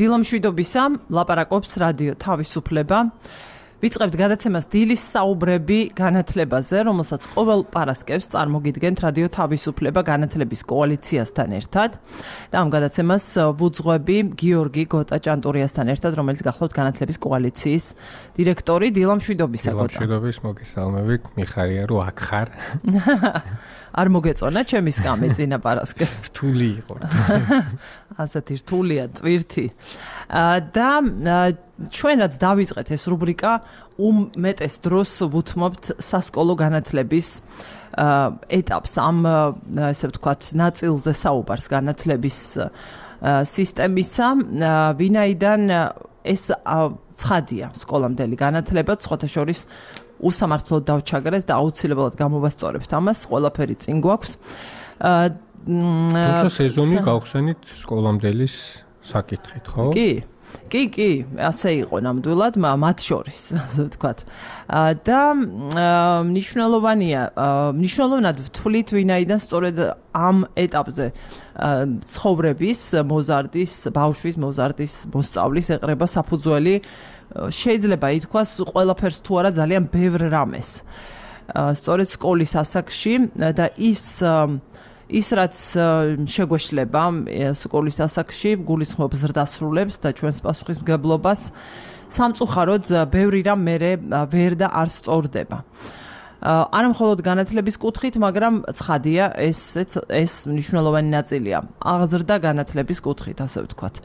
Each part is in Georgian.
დილამშვიდობისა, ლაპარაკობს რადიო თავისუფლება. ვიწყებთ გადაცემას დილის საუბრები განათლებაზე, რომელსაც ყოველ პარასკევს წარმოგიდგენთ რადიო თავისუფლება განათლების კოალიციასთან ერთად. და ამ გადაცემას ვუძღვები გიორგი გოტა-ჭანტურიასთან ერთად, რომელიც გახლავთ განათლების კოალიციის დირექტორი. დილამშვიდობისა, გოტა. დილამშვიდობის, მოგესალმებით. მიხარია, რომ აქ ხარ. არ მოგეწონა ჩემი სკამი წინა პარასკევს. რთული იყო. ასეთი რთულია, წვირთი. და ჩვენაც დავიწყეთ ეს რუბრიკა უმეტეს დროს ვუთმობთ სასკოლო განათლების ეტაპს ამ ესე ვთქვათ ნაწილზე საუბარს განათლების სისტემისა, ვინაიდან ეს ცხადია სკოლამდელი განათლება, სხვათა შორის უსამართლოდ დავჩაგრეთ და აუცილებლად გამოვასწორებთ ამას, ყველაფერი წინ გვაქვს. თუმცა სეზონი გავხსენით სკოლამდელის საკითხით, ხო? კი, ასე იყო ნამდვილად, მათ შორის, ასე ვთქვათ. და მნიშვნელოვნად ვთვლით, ვინაიდან სწორედ ამ ეტაპზე ცხოვრების, მოზარდის, ბავშვის მოზარდის, მოსწავლის ეყრება საფუძველი, შეიძლება ითქვას ყველაფერს თუ არა ძალიან ბევრ რამეს. სწორედ სკოლის ასაკში და ის რაც შეგვეშლება სკოლის ასაკში გულისხმობს ზრდასრულებს და ჩვენს პასუხისმგებლობას, სამწუხაროდ ბევრი რამ მერე ვერ და არ სწორდება. არა მხოლოდ განათლების კუთხით, მაგრამ ცხადია ეს მნიშვნელოვანი ნაწილია აღზრდა განათლების კუთხით, ასე ვთქვათ.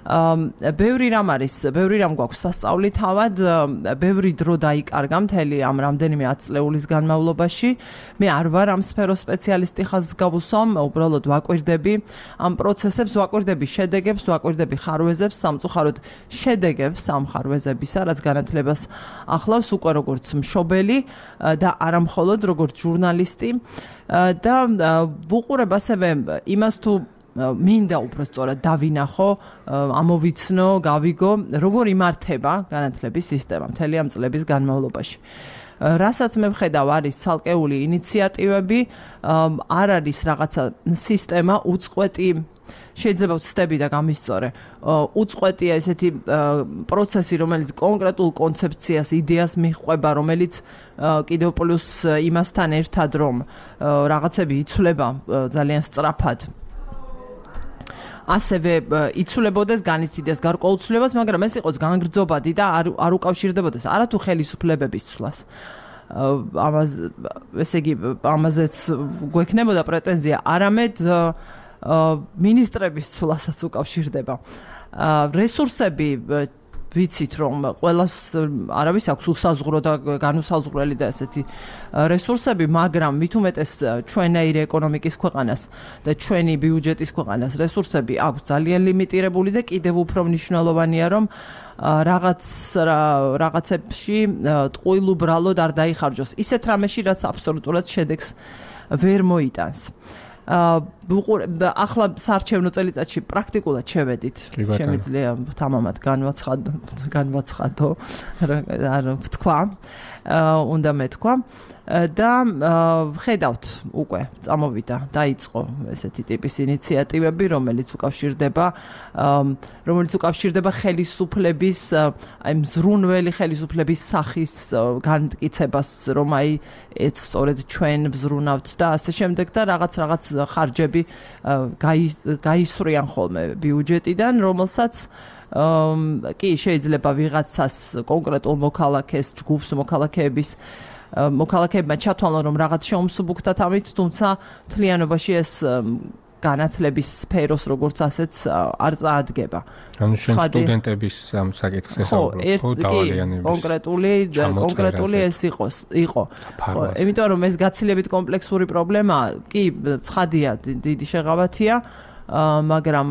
ბევრი რამ გვაქვს სასწავლი თავად, ბევრი დრო დაიკარგა მთელი ამ რამდენიმე 10 წლეულის განმავლობაში. მე არ ვარ ამ სფეროს სპეციალისტი, ხაზს გავუსვამ, უბრალოდ ვაკვირდები ამ პროცესებს, ვაკვირდები შედეგებს, ვაკვირდები ხარვეზებს, სამწუხაროდ შედეგებს ამ ხარვეზებისა, რაც განათლებას ახლავს უკვე როგორც მშობელი და არა მხოლოდ როგორც ჟურნალისტი და ვუყურებ ასევე იმას თუ მინდა უბრალოდ დავინახო, ამოვიცნო, გავიგო, როგორ იმართება განათლების სისტემა მთელი ამ წლების განმავლობაში. რასაც მე ვხედავ, არის ცალკეული ინიციატივები, არ არის რაღაცა სისტემა უწყვეტი, შეიძლება ვცდები და გამისწორე, უწყვეტია ესეთი პროცესი, რომელიც კონკრეტულ კონცეფციას, იდეას მიჰყვება, რომელიც კიდევ პლუს იმასთან ერთად, რომ რაღაცები იცვლება ძალიან სწრაფად. ასევე იცვლებოდეს, განიცდიდეს გარკვეულწლებას, მაგრამ ეს იყოს განგრძობადი და არ უკავშირდებოდეს არათუ ხელისუფლებების ცვლას. ესე იგი, ამაზეც გვექნებოდა პრეტენზია, არამედ მინისტრების ცვლასაც უკავშირდება. რესურსები ვიცით, რომ ყველას არავის აქვს უსაზღურო და განუსაზღვრელი და ესეთი რესურსები, მაგრამ მით უმეტეს ჩვენაირი ეკონომიკის ქვეყანას და ჩვენი ბიუჯეტის ქვეყანას რესურსები აქვს ძალიან ლიმიტირებული და კიდევ უფრო მნიშვნელოვანია, რომ რაღაცებში ტყუილ უბრალოდ არ დაიხარჯოს ისეთ რამეში, რაც აბსოლუტურად შედეგს ვერ მოიტანს. ახლა საარჩევნო წელიწადში პრაქტიკულად შევედით. შემიძლია თამამად განვაცხადო, არ ვთქვა, უნდა მეთქვა და ხედავთ უკვე წამოვიდა, დაიწყო ესეთი ტიპის ინიციატივები, რომელიც უკავშირდება ხელისუფლების, აი მზრუნველი ხელისუფლების სახის განმტკიცებას, რომ აი სწორედ ჩვენ ვზრუნავთ და ასე შემდეგ და რაღაც ხარჯები გაისვრიან ხოლმე ბიუჯეტიდან, რომელსაც კი შეიძლება ვიღაცას კონკრეტულ მოქალაქეს, ჯგუფს მოქალაქეებმა ჩათვალონ, რომ რაღაც შეუმსუბუქდათ ამით, თუმცა მთლიანობაში ეს განათლების სფეროს როგორც ასეც არ წაადგება. ანუ შენ სტუდენტების ამ საკითხს ესაუბრებ, ხო, დავალიანების. კონკრეტული ეს იყო. იმიტომ რომ ეს გაცილებით კომპლექსური პრობლემაა, კი, ცხადია, დიდი შეღავათია, მაგრამ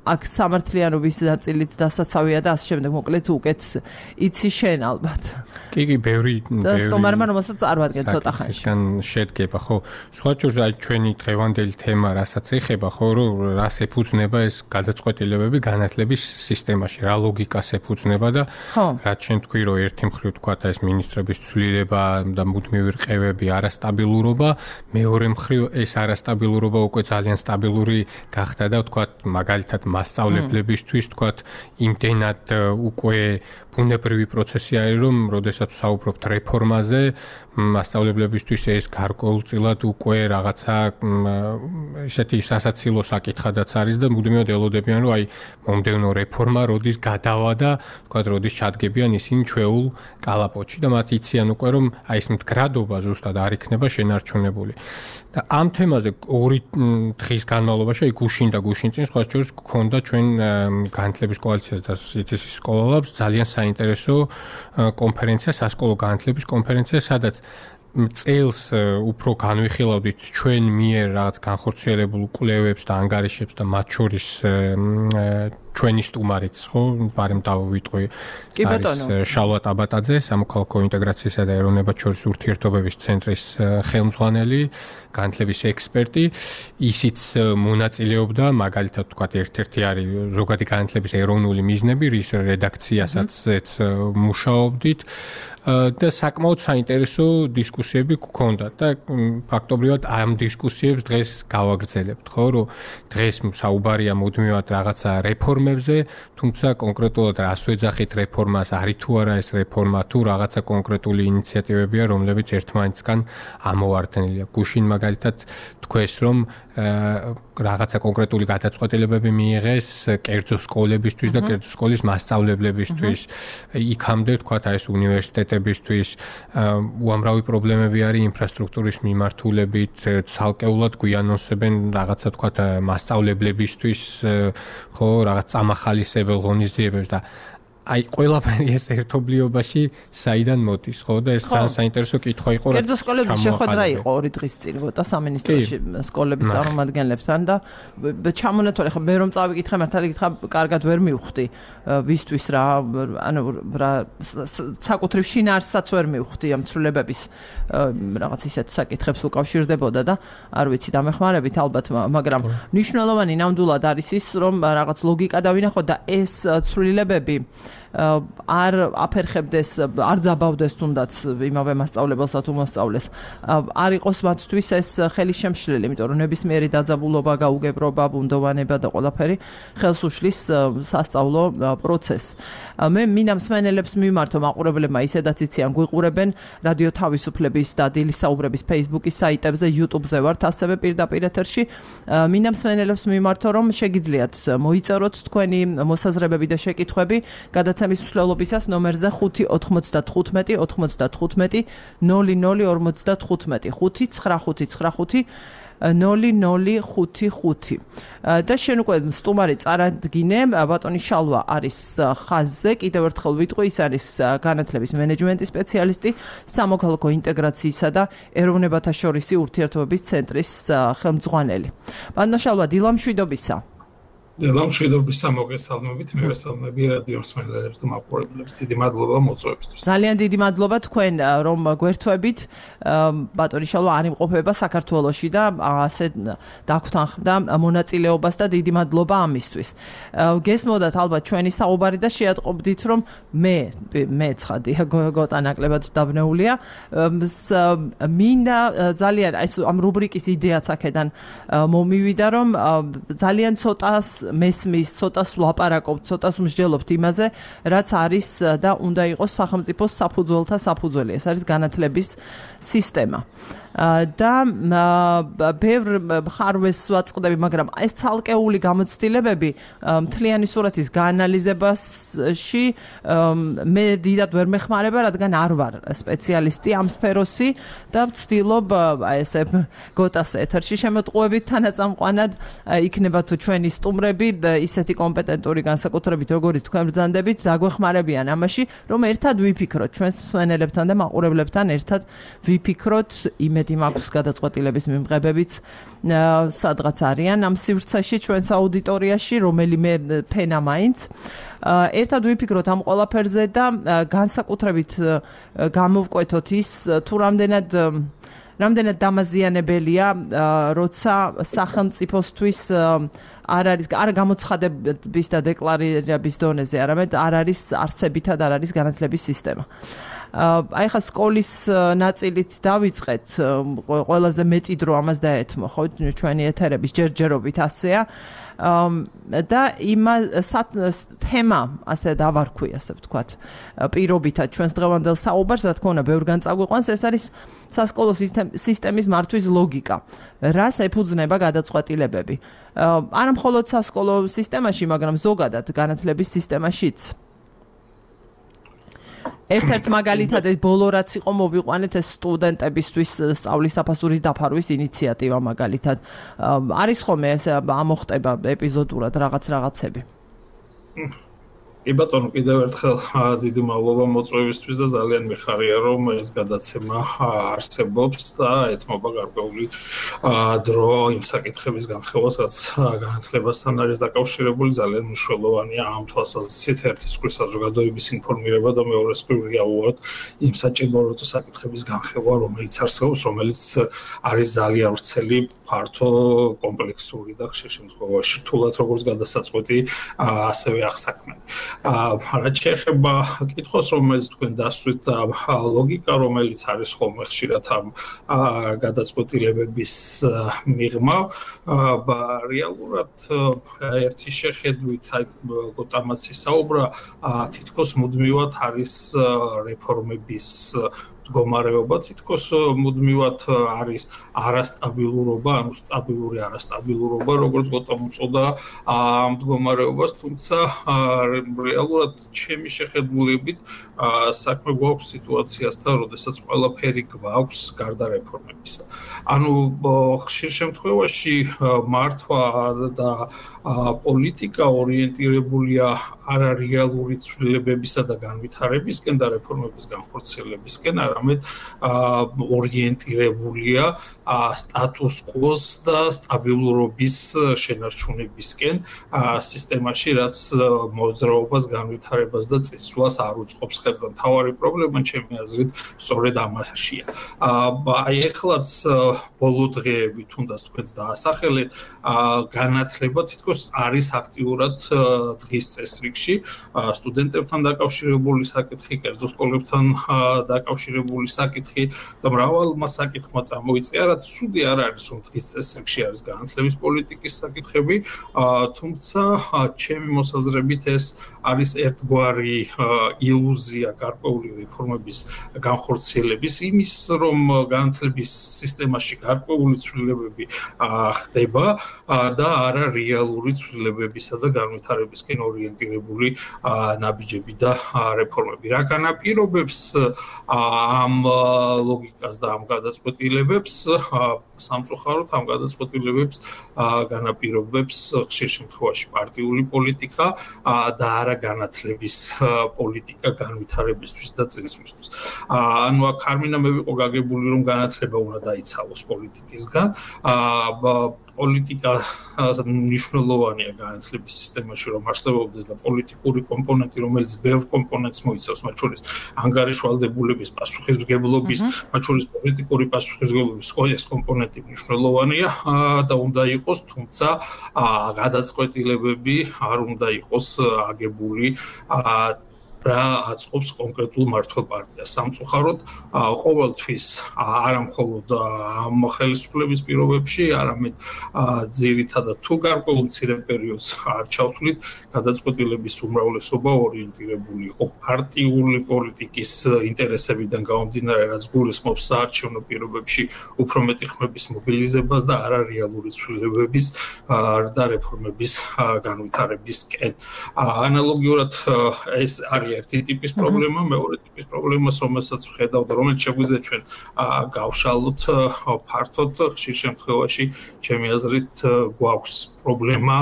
აქ სამართლიანობის ნაწილიც დასაცავია და ასე შემდეგ, მოკლედ უკეთ იცი შენ ალბათ. კი, ბევრი და სტომარმა რომელსაც არ ვადგენ ცოტა ხანში. ისგან შედგება, ხო. სხვა შორის აი ჩვენი დღევანდელი თემა, რასაც ეხება, ხო, რომ რას ეფუძნება ეს გადაწყვეტილებები განათლების სისტემაში, რა ლოგიკას ეფუძნება და რაც შენ თქვი, რომ ერთი მხრივ თქვა ეს მინისტრების ცვლილება და მუდმივი რყევები, არასტაბილურობა, მეორე მხრივ ეს არასტაბილურობა უკვე ძალიან სტაბილური გახდა და თქვა მაგალითად მასწავლებლებისთვის თქვათ იმდენად უკვე ბუნებრივი პროცესი არის, რომ როდესაც საუბრობთ რეფორმაზე, მასწავლებლებისთვის ეს გარკვეულწილად უკვე რაღაცა ისეთი სასაცილო საკითხადაც არის და მუდმივად ელოდებიან, რომ აი მომდევნო რეფორმა როდის გადავა და თქვათ როდის ჩადგებიან ისინი ჩვეულ კალაპოტში და მათ იციან უკვე, რომ აი ეს მდგრადობა ზუსტად არ იქნება შენარჩუნებული. და ამ თემაზე 2 დღის განმავლობაში აი გუშინ და გუშინ წინ სხვა შორის გქონდა ჩვენ განათლების კოალიციას და სიტის სკოლალაბს ძალიან საინტერესო კონფერენცია, სასკოლო განათლების კონფერენცია, სადაც წელს უფრო განვიხილავდით ჩვენ მიერ რაღაც განხორციელებულ კვლევებს და ანგარიშებს და მათ შორის ჩვენი სტუმარიც ხო, ბარემ დავიტყვი შალვა ტაბატაძე, სამოქალაქო ინტეგრაციისა და ეროვნებად შორის ურთიერთობების ცენტრის ხელმძღვანელი, განათლების ექსპერტი, ისიც მონაწილეობდა, მაგალითად თქვათ, ერთ-ერთი არის ზოგადი განათლების ეროვნული მიზნები, რის რედაქციასაც მუშაობდით. და საკმაოდ საინტერესო დისკუსიები გქონდა და ფაქტობრივად ამ დისკუსიებს დღეს გავაგრძელებთ, ხო, რომ დღეს საუბარია მუდმივად რაღაცა რეფორმებზე, თუმცა კონკრეტულად რას ვეძახით რეფორმას, არის თუ არა ეს რეფორმა, თუ რაღაცა კონკრეტული ინიციატივებია, რომლებიც ერთმანეთსგან ამოვარდნილია. გუშინ მაგალითად თქვეს, რომ რაღაცა კონკრეტული გადაწყვეტილებები მიიღეს კერძო სკოლებისთვის და კერძო სკოლის მასწავლებლებისთვის. იქამდე თქვათ აი ეს უნივერსიტეტებისთვის უამრავი პრობლემები არის ინფრასტრუქტურის მიმართულებით, ცალკეულად გვიანონსებენ რაღაცა თქვათ მასწავლებლებისთვის, ხო, რაღაც წამახალისებელ ღონისძიებებს და აი ყველაფერი ეს ერთობლიობაში საიდან მოდის, ხო და ეს ძალიან საინტერესო კითხვა იყო, რაც კერძო სკოლების შეხვედრა იყო 2 დღის წინ, ვოტა სამინისტროში სკოლების წარმომადგენლებთან და ჩამონათვალე ხა მე რომ წავიკითხე, მართალი გითხრა, კარგად ვერ მივხვდი ვისთვის რა, ანუ რა საკუთრივ შინაარსსაც ვერ მივხვდი ამ ცვლილებების რაღაც ისეთ საკითხებს უკავშირდებოდა და არ ვიცი დამეხმარებით ალბათ, მაგრამ მნიშვნელოვანი ნამდვილად არის ის, რომ რაღაც ლოგიკა დავინახოთ და ეს ცვლილებები არ აფერხებდეს, არ ძაბავდეს თუნდაც იმავე მასწავლებელსა თუ მოსწავლეს. არ იყოს მათთვის ეს ხელის შემშლელი, იმიტომ რომ ნებისმიერი დაძაბულობა, გაუგებრობა, ბუნდოვანება და ყველაფერი ხელს უშლის სასწავლო პროცესს. მე მინდა მსმენელებს მიმართო, მაყურებლებმა ისედაც იციან, გვიყურებენ რადიო თავისუფლების და დილის საუბრების Facebook-ის საიტებზე, YouTube-ზე ვართ, ასევე პირდაპირ ეთერში. მინდა მსმენელებს მიმართო, რომ შეგიძლიათ მოიწეროთ თქვენი მოსაზრებები და შეკითხვები გადაცემის მსვლელობისას ნომერზე 595 95 0055 595 0055 და შენ უკვე სტუმარი წარადგინე, ბატონი შალვა არის ხაზზე, კიდევ ერთხელ ვიტყვი, ის არის განათლების მენეჯმენტის სპეციალისტი, სამოქალაქო ინტეგრაციისა და ეროვნებათა შორისი ურთიერთობების ცენტრის ხელმძღვანელი. ბატონო შალვა, დილამშვიდობისა. დილამშვიდობისა, მოგესალმებით, მე ვესალმები რადიო მსმენელებს და მაყურებლებს. დიდი მადლობა მოწვევისთვის. ძალიან დიდი მადლობა თქვენ, რომ გვერთვებით. ბატონი შალვა არ იმყოფება საქართველოში და ასე დაგვრთანხმდა მონაწილეობას და დიდი მადლობა ამისთვის. გესმოდათ ალბათ ჩვენი საუბარი და შეატყობდით, რომ მე ცხადი გოტა ნაკლებად დაბნეულია. მინდა ძალიან ამ რუბრიკის იდეაც აქედან მომივიდა, რომ ძალიან ცოტას მესმის, ცოტას ვლაპარაკობთ, ცოტას მსჯელობთ იმაზე, რაც არის და უნდა იყოს სახელმწიფოს საფუძველთა საფუძველი. ეს არის განათლების სისტემა. და ბევრ ხარვეს ვაწყდები, მაგრამ ეს ცალკეული გამოცდილებები მთლიანი სურათის გაანალიზებაში მე დიდად ვერ მეხმარება, რადგან არ ვარ სპეციალისტი ამ სფეროსი და ვცდილობ ესე გოტას ეთერში შემოტყუებით თანაწამყვანად იქნება თუ ჩვენი სტუმრები ისეთი კომპეტენტური განსაკუთრებით, როგორც თქვენ ბრძანდებით, დაგვეხმარებიან ამაში, რომ ერთად ვიფიქროთ ჩვენს მსმენელებთან და მაყურებლებთან ერთად ვიფიქროთ იმედი მაქვს გადაწყვეტილების მიმღებებიც სადღაც არიან ამ სივრცეში ჩვენს აუდიტორიაში, რომელიმე ფენა მაინც. ერთად ვიფიქროთ ამ ყველაფერზე და განსაკუთრებით გამოვკვეთოთ ის, თუ რამდენად დამაზიანებელია, როცა სახელმწიფოსთვის არ გამოცხადების და დეკლარირების დონეზე, არამედ არ არის არსებითად არ არის განათლების სისტემა. აი ხა სკოლის ნაწილით დავიწყეთ, ყველაზე მეტი დრო ამას დაეთმო, ხო, ჩვენი ეთერების ჯერჯერობით ასეა. და თემა ასე დავარქვი, ასე ვთქვათ, პირობითად ჩვენს დღევანდელ საუბარს, რა თქმა უნდა, ბევრგან წაგვიყვანს, ეს არის სასკოლო სისტემის მართვის ლოგიკა. რას ეფუძნება გადაწყვეტილებები? არა მხოლოდ სასკოლო სისტემაში, მაგრამ ზოგადად განათლების სისტემაშიც. ერთ-ერთ მაგალითად ეს ბოლო რაც იყო მოვიყვანეთ ეს სტუდენტებისთვის სწავლის საფასურის დაფარვის ინიციატივა მაგალითად. არის ხოლმე ეს ამოხტება ეპიზოდურად რაღაცები. კი ბატონო, კიდევ ერთხელ დიდი მადლობა მოწვევისთვის და ძალიან მიხარია, რომ ეს გადაცემა არსებობს და ეთმობა გარკვეული დრო იმ საკითხების განხილვას, რაც განათლებასთან არის დაკავშირებული, ძალიან მნიშვნელოვანია ამ თვალსაზრისით ერთის მხრივ საზოგადოების ინფორმირება და მეორეს მხრივ რეალურად იმ საჭირო საკითხების განხილვა, რომელიც არსებობს, რომელიც არის ძალიან ვრცელი, ფართო, კომპლექსური და ხშირ შემთხვევაში რთულად როგორც გადასაწყვეტი, ასევე აღსაქმელი. რაც შეეხება კითხვას, რომელიც თქვენ დასვით ლოგიკა, რომელიც არის ხოლმე ხშირად ამ გადაწყვეტილებების მიღმა, რეალურად ერთი შეხედვით, გოტამაც ისაუბრა, თითქოს მუდმივად არის რეფორმების მდგომარეობა, თითქოს მუდმივად არის არასტაბილურობა, ანუ სტაბილური არასტაბილურობა, როგორც გოტამ უწოდა ამ მდგომარეობას, თუმცა რეალურად ჩემი შეხედულებით საქმე გვაქვს სიტუაციასთან, როდესაც ყველაფერი გვაქვს გარდა რეფორმებისა. ანუ ხშირ შემთხვევაში მართვა და პოლიტიკა ორიენტირებულია არა რეალური ცვლილებებისა და განვითარებისკენ და რეფორმების განხორციელებისკენ, არამედ ორიენტირებულია სტატუს კვოს და სტაბილურობის შენარჩუნებისკენ სისტემაში, რაც მოძრაობას, განვითარებას და წინსვლას არ უწყობს ხელს და მთავარი პრობლემა ჩემი აზრით სწორედ ამაშია. აი ეხლაც ბოლო დღეები თუნდაც თქვენს დაასახელეთ, განათლება თითქოს არის აქტიურად დღის წესრიგში, სტუდენტებთან დაკავშირებული საკითხი, კერძო სკოლებთან დაკავშირებული საკითხი და მრავალმა საკითხმა წამოიწყია, რაც ცუდი არ არის, რომ დღის წესრიგში არის განათლების პოლიტიკის საკითხები, თუმცა ჩემი მოსაზრებით ეს არის ერთგვარი ილუზია გარკვეული რეფორმების განხორციელების იმის, რომ განათლების სისტემაში გარკვეული ცვლილებები ხდება და არა რეალური ცვლილებებისა და განვითარებისკენ ორიენტირებული ნაბიჯები და რეფორმები. რა განაპირობებს ამ ლოგიკას და ამ გადაწყვეტილებებს, სამწუხაროდ ამ გადაწყვეტილებებს განაპირობებს ხშირ შემთხვევაში პარტიული პოლიტიკა და არა განათლების პოლიტიკა განვითარებისთვის და წინსვლისთვის. ანუ აქ არ მინდა მე ვიყო გაგებული, რომ განათლება უნდა დაიცალოს პოლიტიკისგან. პოლიტიკა მნიშვნელოვანია განათლების სისტემაში, რომ არსებობდეს და პოლიტიკური კომპონენტი, რომელიც ბევრ კომპონენტს მოიცავს, მათ შორის ანგარიშვალდებულების პასუხისმგებლობის, მათ შორის პოლიტიკური პასუხისმგებლობის ეს კომპონენტი მნიშვნელოვანია და უნდა იყოს, თუმცა გადაწყვეტილებები არ უნდა იყოს აგებული რა აწყობს კონკრეტულ მმართველ პარტიას. სამწუხაროდ ყოველთვის არა მხოლოდ ამ ხელისუფლების პირობებში, არამედ ძირითადად თუ გარკვეულ მცირე პერიოდს არ ჩავთვლით, გადაწყვეტილების უმრავლესობა ორიენტირებული იყო პარტიული პოლიტიკის ინტერესებიდან გამომდინარე, რაც გულისხმობს საარჩევნო პირობებში უფრო მეტი ხმების მობილიზებას და არა რეალური ცვლილებების და რეფორმების განვითარებისკენ. ანალოგიურად ეს არის ერთი ტიპის პრობლემა, მეორე ტიპის პრობლემას, რომელსაც ვხედავ და რომელიც შეგვიძლია ჩვენ გავშალოთ ფართოდ, ხშირ შემთხვევაში ჩემი აზრით გვაქვს პრობლემა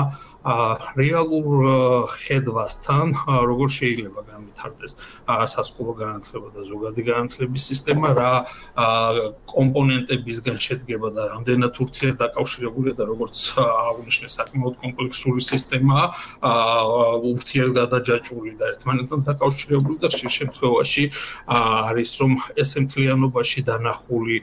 რეალურ ხედვასთან, როგორ შეიძლება განვითარდეს სასკოლო განათლება და ზოგადი განათლების სისტემა, რა კომპონენტებისგან შედგება და რამდენად ურთიერთდაკავშირებულია და როგორც აღნიშნე საკმაოდ კომპლექსური სისტემაა, ურთიერთგადაჯაჭვური და ერთმანეთთან დაკავშირებული და ხშირ შემთხვევაში არის, რომ ეს მთლიანობაში დანახული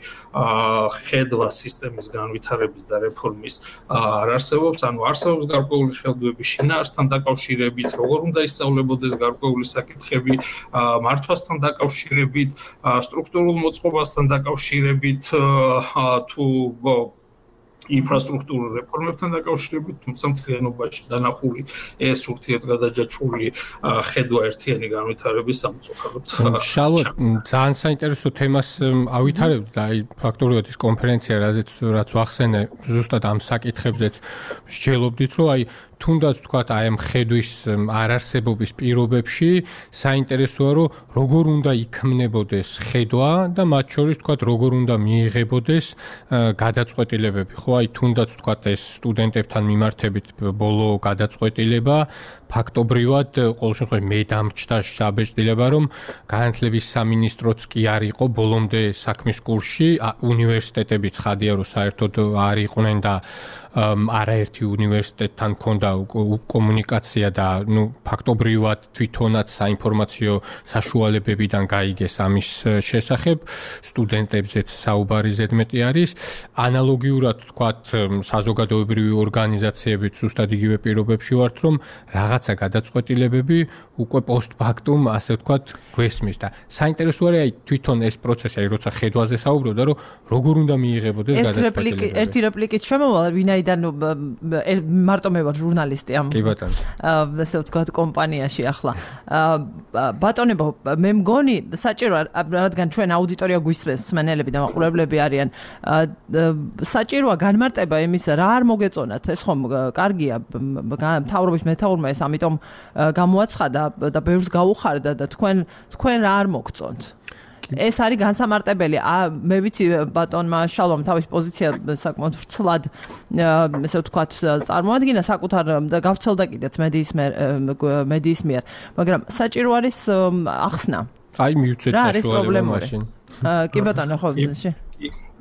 ხედვა სისტემის განვითარების და რეფორმის არ არსებობს, ანუ არსებობს გარკვეული ხელდვები შინაარსთან დაკავშირებით, როგორ უნდა ისწავლებოდეს გარკვეული საკითხები, მართვასთან დაკავშირებით, სტრუქტურულ მოწყობასთან დაკავშირებით, თუ ინფრასტრუქტურულ რეფორმებთან დაკავშირებით, თუმცა მთლიანობაში დანახული ეს ურთიერთგადაჯაჭვური ხედვა ერთიანი განვითარების სამწუხაროდ. შალვა, ძალიან საინტერესო თემას ავითარებთ და აი ფაქტობრივად ის კონფერენცია, რაც ვახსენე, ზუსტად ამ საკითხებზეც მსჯელობდით, რომ აი თუნდაც თქვათ აი ამ ხედვის არარსებობის პირობებში საინტერესოა რომ როგორ უნდა იქმნებოდეს ხედვა და მათ შორის თქვათ როგორ უნდა მიიღებოდეს გადაწყვეტილებები ხო აი თუნდაც თქვათ ეს სტუდენტებთან მიმართებით ბოლო გადაწყვეტილება ფაქტობრივად ყოველ შემთხვევაში მე დამჭდა საბეჭდილება რომ განათლების სამინისტროც კი არ იყო ბოლომდე საქმის კურსში უნივერსიტეტები ცხადია რომ საერთოდ არ იყვნენ და არაერთი უნივერსიტეტთან ჰქონდა კომუნიკაცია და ნუ ფაქტობრივად თვითონაც საინფორმაციო საშუალებებიდან გაიგეს ამის შესახებ სტუდენტებზეც საუბარი ზედმეტი არის ანალოგიურად თქვათ საზოგადოებრივი ორგანიზაციებიც ზუსტად იგივე პირობებში ვართ რომ რაღაცა გადაწყვეტილებები უკვე პოსტფაქტუმ ასე ვთქვათ გვესმის და საინტერესო არის აი თვითონ ეს პროცესი აი როცა ხედვაზე საუბრობდა რომ როგორ უნდა მიიღებოდეს გადაწყვეტილებები ერთი რეპლიკით შემოვალ ვინაიდან მარტო მე ვარ ჟურნალისტი ამ კი ბატონო ასე ვთქვათ კომპანიაში ახლა ბატონებო მე მგონი საჭიროა რადგან ჩვენ აუდიტორია გვისმენს მსმენელები და მაყურებლები არიან საჭიროა განმარტება იმისა რა არ მოგეწონათ ეს ხომ კარგია მთავრობის მეთაურმა ეს ამიტომ გამოაცხადა და ბევრს გაუხარდა და თქვენ რა არ მოგწონთ ეს არის განსამარტებელი მე ვიცი ბატონმა შალვამ თავის პოზიცია საკმაოდ ვრცლად ესე ვთქვათ წარმოადგინა საკუთარ და გავრცელდა კიდეც მედიის მიერ მაგრამ საჭირო არის ახსნა აი მივცეთ საშუალება მაშინ კი ბატონო ხო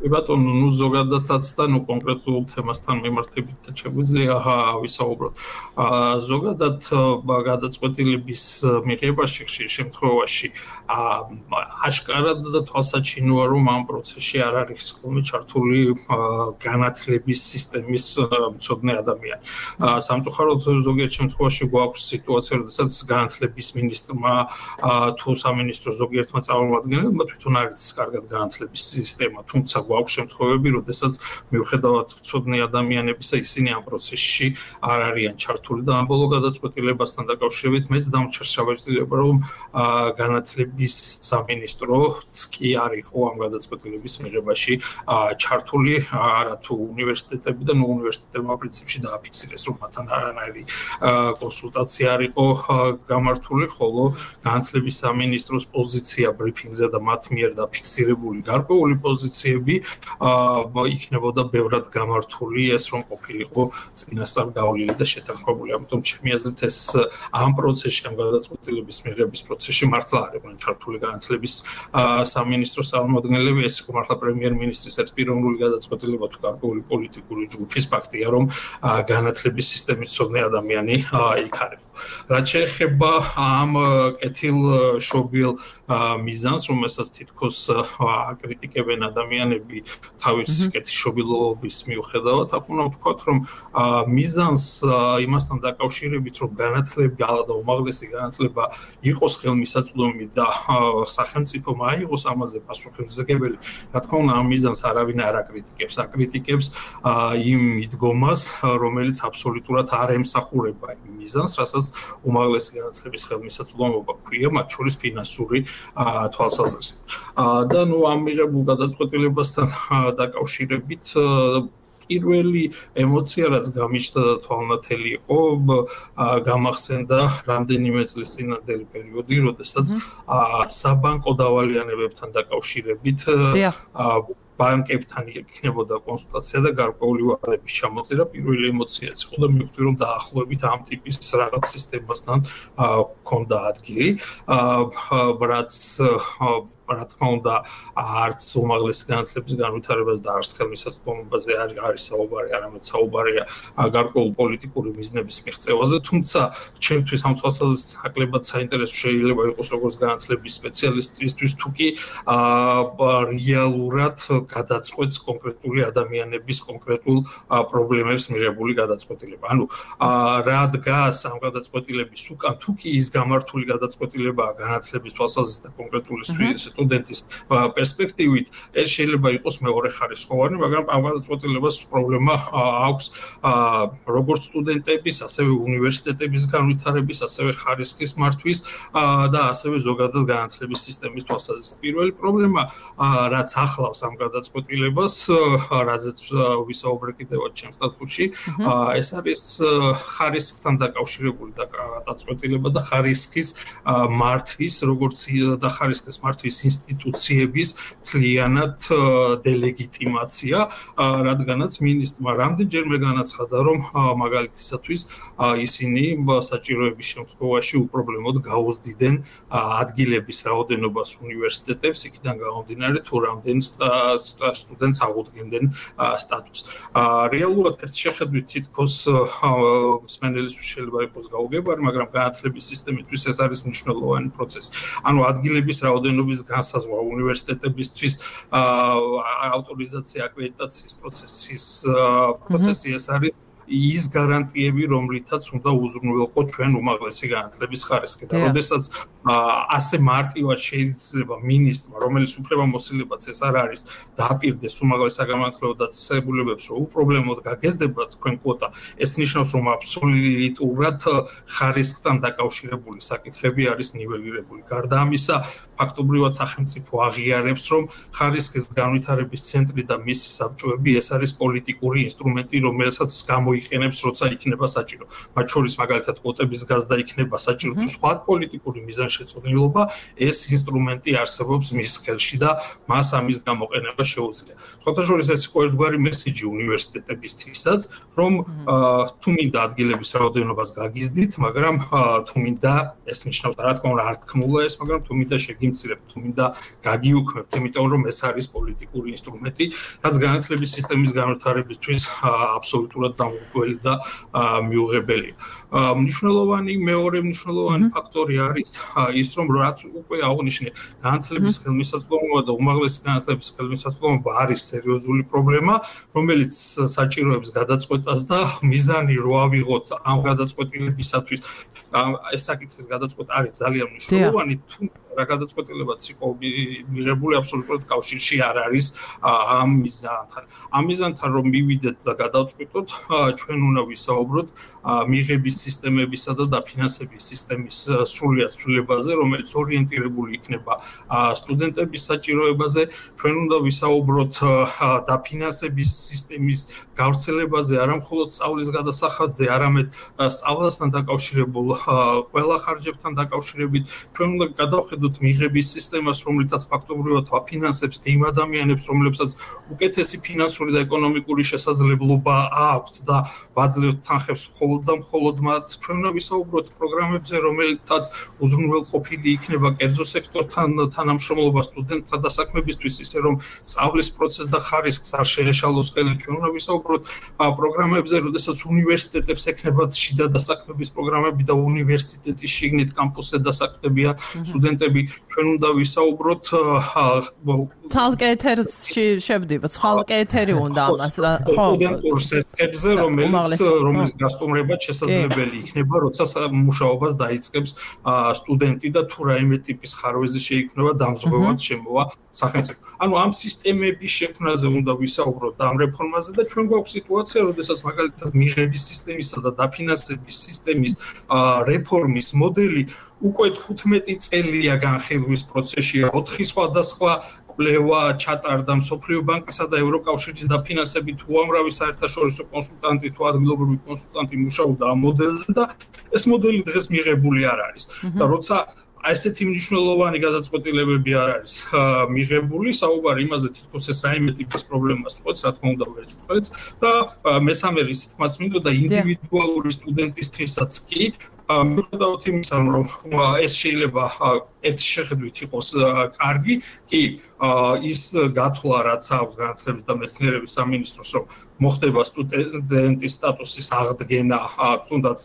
კი ბატონო ნუ ზოგადადაც და ნუ კონკრეტულ თემასთან მიმართებით შეგვიძლია ვისაუბროთ ზოგადად გადაწყვეტილების მიღებაში ხშირ შემთხვევაში აშკარად და თვალსაჩინოა რომ ამ პროცესში არ არის ხოლმე ჩართული განათლების სისტემის მცოდნე ადამიანი სამწუხაროდ ზოგიერთ შემთხვევაში გვაქვს სიტუაცია როდესაც განათლების მინისტრმა თუ სამინისტრო ზოგიერთმა წარმომადგენელმა თვითონ არის კარგად განათლების სისტემა თუმცა გვაქვს შემთხვევები, როდესაც მიუხედავად მცოდნე ადამიანებისა, ისინი ამ პროცესში არ არიან ჩართული და ამ ბოლო გადაწყვეტილებასთან დაკავშირებით მეც დამჭირს საბეჭდილება, რომ განათლების სამინისტროც კი არ იყო ამ გადაწყვეტილების მიღებაში ჩართული, არა თუ უნივერსიტეტები და ნუ უნივერსიტეტებმა პრინციპში დააფიქსირეს, რომ მათთან არანაირი კონსულტაცია არ იყო გამართული, ხოლო განათლების სამინისტროს პოზიცია ბრიფინგზე და მათ მიერ დაფიქსირებული გარკვეული პოზიციები იქნებოდა ბევრად გამართული ეს რომ ყოფილიყო წინასწარ გავლილი და შეთანხმებული. ამიტომ ჩემი აზრით ეს ამ პროცესში, ამ გადაწყვეტილების მიღების პროცესში მართლა არ იყვნენ ჩართული განათლების სამინისტროს წარმომადგენლები, ეს იყო მართლა პრემიერ-მინისტრის ერთპიროვნული გადაწყვეტილება თუ გარკვეული პოლიტიკური ჯგუფის ფაქტია, რომ განათლების სისტემის მცოდნე ადამიანი იქ არის. რაც შეეხება ამ კეთილშობილ მიზანს, რომელსაც თითქოს აკრიტიკებენ ადამიანები თავის კეთილშობილობის მიუხედავად, აკუნა ვთქვათ, რომ მიზანს იმასთან დაკავშირებით, რომ განათლება და უმაღლესი განათლება იყოს ხელმისაწვდომი და სახელმწიფომ აიღოს ამაზე პასუხისმგებელი, რა თქმა უნდა, ამ მიზანს არავინ არ აკრიტიკებს, აკრიტიკებს იმ მიდგომას, რომელიც აბსოლუტურად არ ემსახურება იმ მიზანს, რასაც უმაღლესი განათლების ხელმისაწვდომობა ჰქვია, მათ შორის ფინანსური თვალსაზრისით. და ნუ ამ მიღებულ გადაწყვეტილებასთან დაკავშირებით პირველი ემოცია, რაც გამიჩნდა და თვალნათელი იყო, გამახსენდა რამდენიმე წლის წინანდელი პერიოდი, როდესაც საბანკო დავალიანებებთან დაკავშირებით ბანკებთან იქნებოდა კონსულტაცია და გარკვეული ვადების ჩამოწერა. პირველი ემოციაც იყო და მივხვდი, რომ დაახლოებით ამ ტიპის რაღაც სისტემასთან ჰქონდა ადგილი, რაც რა თქმა უნდა არც უმაღლესი განათლების განვითარებას და არც ხელმისაწვდომობაზე არ არის საუბარი, არამედ საუბარია გარკვეული პოლიტიკური მიზნების მიღწევაზე, თუმცა ჩემთვის ამ თვალსაზრისით ნაკლებად საინტერესო შეიძლება იყოს როგორც განათლების სპეციალისტისთვის, თუ კი რეალურად გადაწყვეტს კონკრეტული ადამიანების კონკრეტულ პრობლემებს მიღებული გადაწყვეტილება. ანუ რა დგას ამ გადაწყვეტილების უკან, თუ კი ის გამართული გადაწყვეტილებაა განათლების თვალსაზრისით და კონკრეტული სტუდენტის პერსპექტივით ეს შეიძლება იყოს მეორეხარისხოვანი, მაგრამ ამ გადაწყვეტილებას პრობლემა აქვს როგორც სტუდენტების, ასევე უნივერსიტეტების განვითარების, ასევე ხარისხის მართვის და ასევე ზოგადად განათლების სისტემის თვალსაზრისით. პირველი პრობლემა, რაც ახლავს ამ გადაწყვეტილებას, რაზეც ვისაუბრე კიდევაც ჩემს სტატუსში, ეს არის ხარისხთან დაკავშირებული გადაწყვეტილება და ხარისხის მართვის, როგორც და ხარისხის მართვის ინსტიტუციების მთლიანად დელეგიტიმაცია, რადგანაც მინისტრმა რამდენჯერმე განაცხადა, რომ მაგალითისათვის ისინი საჭიროების შემთხვევაში უპრობლემოდ გაუზდიდნენ ადგილების რაოდენობას უნივერსიტეტებს, იქიდან გამომდინარე თუ რამდენ სტუდენტს აღუდგენდნენ სტატუსს. რეალურად ერთ შეხედვით თითქოს მსმენელისთვის შეიძლება იყოს გაუგებარი, მაგრამ განათლების სისტემისთვის ეს არის მნიშვნელოვანი პროცესი. ანუ ადგილების რაოდენობის განსაზღვრა უნივერსიტეტებისთვის ავტორიზაცია აკრედიტაციის პროცესი ეს არის ის გარანტიები, რომლითაც უნდა უზრუნველყოთ ჩვენ უმაღლესი განათლების ხარისხი. და როდესაც ასე მარტივად შეიძლება მინისტრმა, რომელიც უფლებამოსილებაც ეს არ არის, დააპირდეს უმაღლეს საგანმანათლებლო დაწესებულებებს, რომ უპრობლემოდ გაგეზრდებათ თქვენ კვოტა, ეს ნიშნავს, რომ აბსოლუტურად ხარისხთან დაკავშირებული საკითხები არის ნიველირებული. გარდა ამისა, ფაქტობრივად სახელმწიფო აღიარებს, რომ ხარისხის განვითარების ცენტრი და მისი საბჭოები ეს არის პოლიტიკური ინსტრუმენტი, რომელსაც გამოიყენებს, როცა იქნება საჭირო. მათ შორის მაგალითად კვოტების გაზრდა იქნება საჭირო თუ სხვა პოლიტიკური მიზანშეწონილობა, ეს ინსტრუმენტი არსებობს მის ხელში და მას ამის გამოყენება შეუძლია. სხვათა შორის ეს იყო ერთგვარი მესიჯი უნივერსიტეტებისთვისაც, რომ თუ მინდა ადგილების რაოდენობას გაგიზდით, მაგრამ თუ მინდა ეს ნიშნავს რა თქმა უნდა არ თქმულა ეს, მაგრამ თუ მინდა შეგიმცირებთ, თუ მინდა გაგიუქმებთ, იმიტომ რომ ეს არის პოლიტიკური ინსტრუმენტი, რაც განათლების სისტემის განვითარებისთვის აბსოლუტურად დამოუკიდებელი და მიუღებელია. მეორე მნიშვნელოვანი ფაქტორი არის ის, რომ რაც უკვე აღნიშნე, განათლების ხელმისაწვდომობა და უმაღლესი განათლების ხელმისაწვდომობა არის სერიოზული პრობლემა, რომელიც საჭიროებს გადაწყვეტას და მიზანი რო ავიღოთ ამ გადაწყვეტილებისათვის, ეს საკითხის გადაწყვეტა არის ძალიან მნიშვნელოვანი, თუმცა რა გადაწყვეტილებაც იყო მიღებული აბსოლუტურად კავშირში არ არის ამ მიზანთან. ამ მიზანთან რომ მივიდეთ და გადავწყვიტოთ, ჩვენ უნდა ვისაუბროთ მიღების სისტემებისა და დაფინანსების სისტემის სრულად ცვლილებაზე, რომელიც ორიენტირებული იქნება სტუდენტების საჭიროებაზე. ჩვენ უნდა ვისაუბროთ დაფინანსების სისტემის გავრცელებაზე, არა მხოლოდ სწავლის გადასახადზე, არამედ სწავლასთან დაკავშირებულ ყველა ხარჯებთან დაკავშირებით. ჩვენ უნდა გადავხედოთ მიღების სისტემას, რომლითაც ფაქტობრივად ვაფინანსებს იმ ადამიანებს, რომლებსაც უკეთესი ფინანსური და ეკონომიკური შესაძლებლობა აქვს და ვაძლევთ თანხებს მხოლოდ მათ. ჩვენ უნდა ვისაუბროთ პროგრამებზე, რომელთაც უზრუნველყოფილი იქნება კერძო სექტორთან თანამშრომლობა სტუდენტთა დასაქმებისთვის, ისე რომ სწავლის პროცესს და ხარისხს არ შეეშალოს ხელი. ჩვენ უნდა ვისაუბროთ პროგრამებზე, როდესაც უნივერსიტეტებს ექნებათ შიდა დასაქმების პროგრამები და უნივერსიტეტის შიგნით კამპუსზე დასაქმდებიან სტუდენტები. ჩვენ უნდა ვისაუბროთ თალკე ეთერში შევდივართ, ხალკე ეთერი უნდა ამას რა, ხო, სტუდენტურ სესხებზე, რომელიც გასტუმრებად შესაძლებელი იქნება, როცა მუშაობას დაიწყებს სტუდენტი და თუ რაიმე ტიპის ხარვეზე შეიქმნება დამზღვევად შემოვა სახელმწიფო. ანუ ამ სისტემების შექმნაზე უნდა ვისაუბროთ და ამ რეფორმაზე და ჩვენ გვაქვს სიტუაცია, როდესაც მაგალითად მიღების სისტემისა და დაფინანსების სისტემის რეფორმის მოდელი უკვე 15 წელია განხილვის პროცესშია, 4 სხვადასხვა კვლევა ჩატარდა მსოფლიო ბანკისა და ევროკავშირის დაფინანსებით უამრავი საერთაშორისო კონსულტანტი თუ ადგილობრივი კონსულტანტი მუშაობდა ამ მოდელზე და ეს მოდელი დღეს მიღებული არ არის. და როცა ასეთი მნიშვნელოვანი გადაწყვეტილებები არ არის მიღებული, საუბარი იმაზე თითქოს ეს რაიმე ტიპის პრობლემას უყვებს, რა თქმა უნდა ვეწყვეტს და მესამე რისთმაც მინდოდა ინდივიდუალური სტუდენტისთვისაც კი მიუხედავად იმისა, რომ ეს შეიძლება ერთი შეხედვით იყოს კარგი, კი ის გათვლა რაც აქვს განათლების და მეცნიერების სამინისტროს, რომ მოხდება სტუდენტის სტატუსის აღდგენა, თუნდაც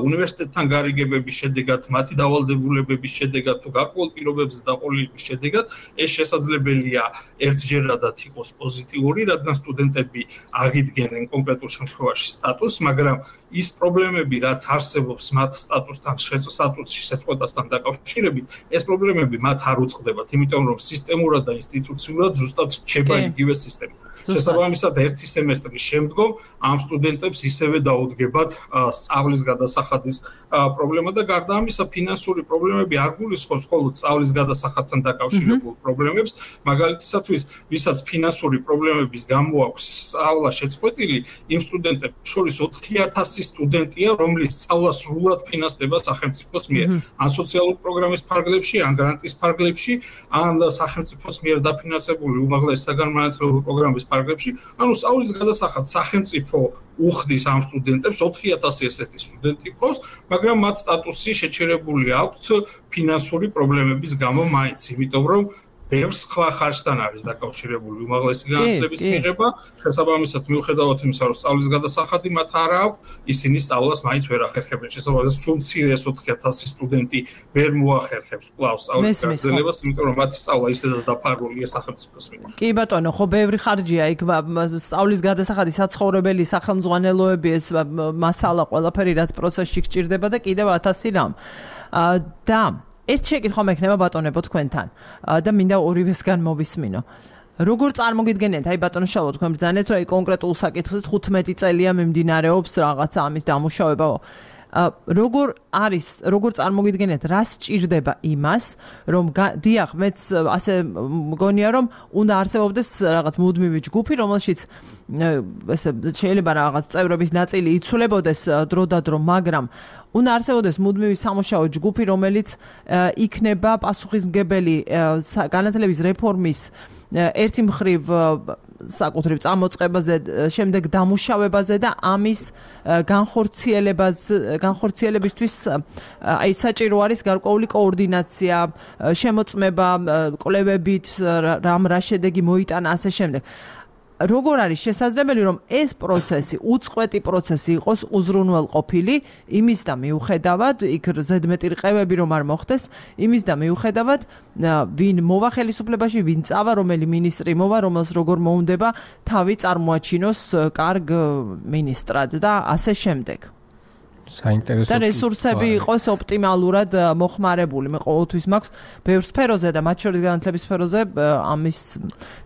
უნივერსიტეტთან გარიგებების შედეგად, მათი დავალდებულებების შედეგად თუ გარკვეულ პირობებზე დაყოლილების შედეგად, ეს შესაძლებელია ერთჯერადად იყოს პოზიტიური, რადგან სტუდენტები აღიდგენენ კონკრეტულ შემთხვევაში სტატუსს, მაგრამ ის პრობლემები, რაც არსებობს მათ სტატუსთან სტატუსში შეწყვეტასთან დაკავშირებით ეს პრობლემები მათ არ უწყდებათ, იმიტომ რომ სისტემურად და ინსტიტუციურად ზუსტად რჩება იგივე სისტემა. შესაბამისად, ერთი სემესტრის შემდგომ ამ სტუდენტებს ისევე დაუდგებათ სწავლის გადასახადის პრობლემა და გარდა ამისა, ფინანსური პრობლემები არ გულისხმობს მხოლოდ სწავლის გადასახადთან დაკავშირებულ პრობლემებს, მაგალითისათვის, ვისაც ფინანსური პრობლემების გამო აქვს სწავლა შეწყვეტილი, იმ სტუდენტებს შორის 4000 სტუდენტია, რომლის სწავლა სრულად ფინანსდება სახელმწიფოს მიერ, ან სოციალური პროგრამის ფარგლებში, ან გრანტის ფარგლებში, ან სახელმწიფოს მიერ დაფინანსებული უმაღლესი საგანმანათლებლო პროგრამის ფარგლებში, ანუ სწავლის გადასახადს სახელმწიფო უხდის ამ სტუდენტებს 4000 ესეთი სტუდენტი ყავს, მაგრამ მათ სტატუსი შეჩერებული აქვს ფინანსური პრობლემების გამო მაინც, იმიტომ რომ ბევრ სხვა ხარჯთან არის დაკავშირებული უმაღლესი განათლების მიღება, შესაბამისად მიუხედავად იმისა, რომ სწავლის გადასახადი მათ არ აქვს, ისინი სწავლას მაინც ვერ ახერხებენ. შესაბამისად, სულ მცირე 4000 სტუდენტი ვერ მოახერხებს კვლავ სწავლის გაგრძელებას, იმიტომ რომ მათი სწავლა ისედაც დაფარულია სახელმწიფოს მიერ. კი ბატონო, ხო ბევრი ხარჯია იქ სწავლის გადასახადი, საცხოვრებელი, სახელმძღვანელოები, ეს მასალა ყველაფერი რაც პროცესში გჭირდება და კიდევ 1000 რამ. და ერთ შეკითხვა მექნება ბატონებო თქვენთან და მინდა ორივესგან მოვისმინო. როგორ წარმოგიდგენიათ, აი ბატონო შალვა თქვენ ბრძანეთ, რომ აი კონკრეტულ საკითხზე 15 წელია მიმდინარეობს რაღაცა ამის დამუშავება. როგორ წარმოგიდგენიათ, რა სჭირდება იმას, რომ დიახ, მეც ასე მგონია, რომ უნდა არსებობდეს რაღაც მუდმივი ჯგუფი, რომელშიც ესე შეიძლება რაღაც წევრების ნაწილი იცვლებოდეს დრო და დრო, მაგრამ უნდა არსებობდეს მუდმივი სამუშაო ჯგუფი, რომელიც იქნება პასუხისმგებელი განათლების რეფორმის ერთი მხრივ საკუთრივ წამოწყებაზე, შემდეგ დამუშავებაზე და ამის განხორციელებისთვის აი საჭირო არის გარკვეული კოორდინაცია, შემოწმება კვლევებით, რა შედეგი მოიტანა ასე შემდეგ. როგორ არის შესაძლებელი, რომ ეს პროცესი, უწყვეტი პროცესი იყოს უზრუნველყოფილი, იმის და მიუხედავად, იქ ზედმეტი რყევები რომ არ მოხდეს, იმის და მიუხედავად, ვინ მოვა ხელისუფლებაში, ვინ წავა, რომელი მინისტრი მოვა, რომელს როგორ მოუნდება თავი წარმოაჩინოს კარგ მინისტრად და ასე შემდეგ. საინტერესო და რესურსები იყოს ოპტიმალურად მოხმარებული. მე ყოველთვის მაქვს ბევრ სფეროზე და მათ შორის განათლების სფეროზე ამის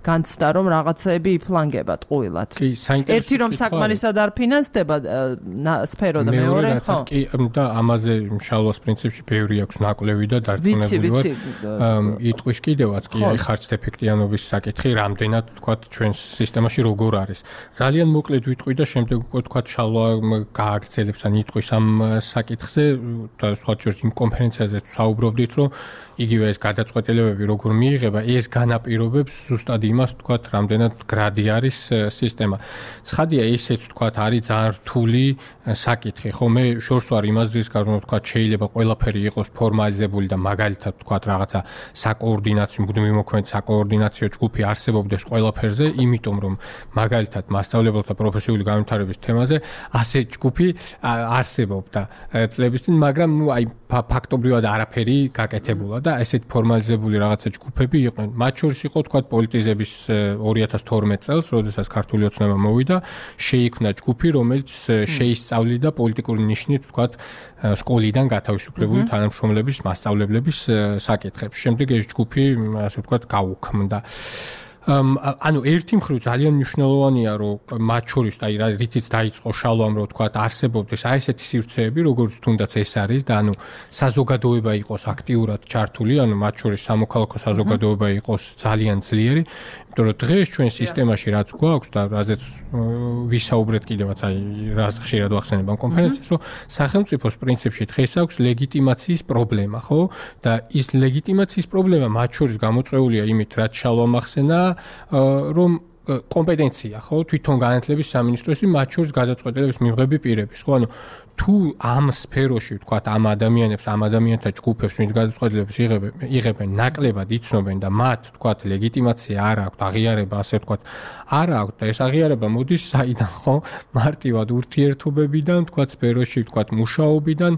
განცდა, რომ რაღაცეები იფლანგებათ ყუილად. კი, საინტერესო. ერთი რომ საკმარისად არ ფინანსდება სფერო და მეორე, ხო? კი, და ამაზე შალვას პრინციპში ბევრი აქვს ნაკვლევი და დარწმუნებულად. იტყვის კიდევაც კი, აი ხარჯთ ეფექტიანობის საკითხი, რამდენად თქვათ ჩვენს სისტემაში როგორ არის. ძალიან მოკლედ ვიტყვი და შემდეგ უკვე თქვათ შალვა გააგრძელებს ან იტყვის ამ საკითხზე და სხვა შორის იმ კონფერენციაზე საუბრობდით, რომ იგივე ეს გადაწყვეტილებები როგორ მიიღება, ეს განაპირობებს ზუსტად იმას, თქვათ, რამდენად გრადი არის სისტემა. ცხადია, ესეც თქვათ, არის ძალიან რთული საკითხი, ხო? მე შორს ვარ იმას ძის გარდა, თქვათ, შეიძლება ყველაფერი იყოს ფორმალიზებული და მაგალითად, თქვათ, რაღაცა საკოორდინაციო, მუდმივი მოქმედი საკოორდინაციო ჯგუფი არსებობდეს ყველაფერზე, იმიტომ რომ მაგალითად მასწავლებელთა პროფესიული განვითარების თემაზე ასე ჯგუფი არსებობდა წლების წინ, მაგრამ ნუ აი ფაქტობრივად არაფერი გაკეთებულა და ესეთ ფორმალიზებული რაღაცა ჯგუფები იყვნენ. მათ შორის იყო თქვათ პოლიტიზების 2012 წელს, როდესაც ქართული ოცნება მოვიდა, შეიქმნა ჯგუფი, რომელიც შეისწავლიდა პოლიტიკური ნიშნით თქვათ სკოლიდან გათავისუფლებული თანამშრომლების, მასწავლებლების საკითხებს. შემდეგ ეს ჯგუფი ასე ვთქვათ გაუქმდა. ანუ ერთი მხრივ ძალიან მნიშვნელოვანია, რომ მათ შორის აი რითიც დაიწყო შალვამ, რომ თქვათ არსებობდეს აი ესეთი სივრცეები, როგორც თუნდაც ეს არის და ანუ საზოგადოება იყოს აქტიურად ჩართული, ანუ მათ შორის სამოქალაქო საზოგადოება იყოს ძალიან ძლიერი, იმიტომ რომ დღეს ჩვენ სისტემაში რაც გვაქვს და რაზეც ვისაუბრეთ კიდევაც აი რაც ხშირად ვახსენებ ამ კონფერენციას, რომ სახელმწიფოს პრინციპში დღეს აქვს ლეგიტიმაციის პრობლემა, ხო? და ის ლეგიტიმაციის პრობლემა მათ შორის გამოწვეულია იმით, რაც შალვამ ახსენა, რომ კომპეტენცია, ხო, თვითონ განათლების სამინისტროს მათ შორის გადაწყვეტილების მიღები პირების, ხო, ანუ თუ ამ სფეროში, ვთქვათ, ამ ადამიანთა ჯგუფებს, ვინც გადაწყვეტილებას იღებენ, ნაკლებად იცნობენ და მათ, ვთქვათ, ლეგიტიმაცია არ აქვთ, აღიარება, ასე ვთქვათ, არ აქვთ და ეს აღიარება მოდის საიდან, ხო, მარტივად ურთიერთობებიდან, ვთქვათ, სფეროში, ვთქვათ, მუშაობიდან,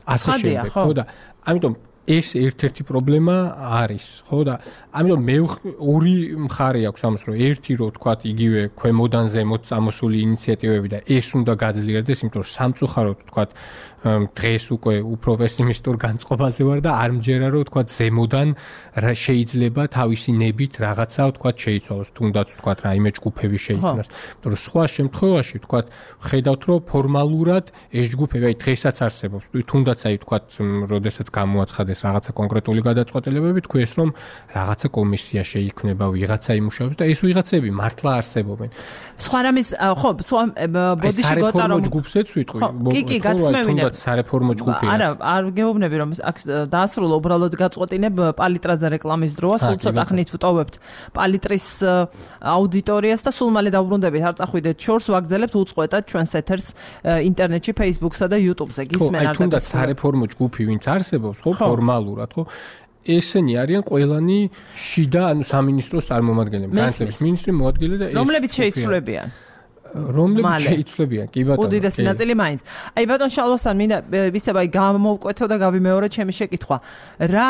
ასე შემდეგ, ხო და ამიტომ ეს ერთ-ერთი პრობლემა არის, ხო და ამიტომ მე ორი მხარე აქვს ამას, რომ ერთი რო თქვა იგივე ქვემოდან ზემოთ წამოსული ინიციატივები და ეს უნდა გაძლიერდეს, იმიტომ რომ სამწუხაროდ თქვა დღეს უკვე უფრო პესიმისტურ განწყობაზე ვარ და არ მჯერა რომ თქვა ზემოდან შეიძლება თავისი ნებით რაღაცა თქვა შეიცვალოს, თუნდაც თქვა რაიმე ჯგუფები შეიქმნას. იმიტომ რომ სხვა შემთხვევაში თქვა ხედავთ რომ ფორმალურად ეს ჯგუფები აი დღესაც არსებობს, თუნდაც აი თქვა როდესაც გამოაცხადეს რაღაცა კონკრეტული გადაწყვეტილებები, თქვეს რომ რაღაცა კომისია შეიქმნება, ვიღაცა იმუშავებს და ეს ვიღაცები მართლა არსებობენ. სხვა რამის ხო, სხვა ბოდიში გოტა რომ ჯგუფზეც ვიტყვი. კი, გათქმევინებ. სარეფორმო ჯგუფია. არა, არ გეუბნები რომ აქ დაასრულო უბრალოდ გაწყვეტინებ პალიტრაზე რეკლამის დროა, სულ ცოტა ხნით ვტოვებთ პალიტრის აუდიტორიას და სულ მალე დავბრუნდებით, არ წახვიდეთ შორს, ვაგრძელებთ უწყვეტად ჩვენს ეთერს ინტერნეტში, Facebook-სა და YouTube-ზე. გისმენ არ და სარეფორმო ჯგუფი ვინც არსებობს, ხო, ფორმალურად, ხო? ესენი არიან ყველანი შიდა, ანუ სამინისტროს წარმომადგენლები, განათლების მინისტრი მოადგილე და ეს რომლებიც შეიცვლებიან. რომლებიც შეიცვლებიან, კი ბატონო. უდიდესი ნაწილი მაინც. აი ბატონ შალვასთან მინდა ვისება აი გამოვკვეთო და გავიმეორე ჩემი შეკითხვა. რა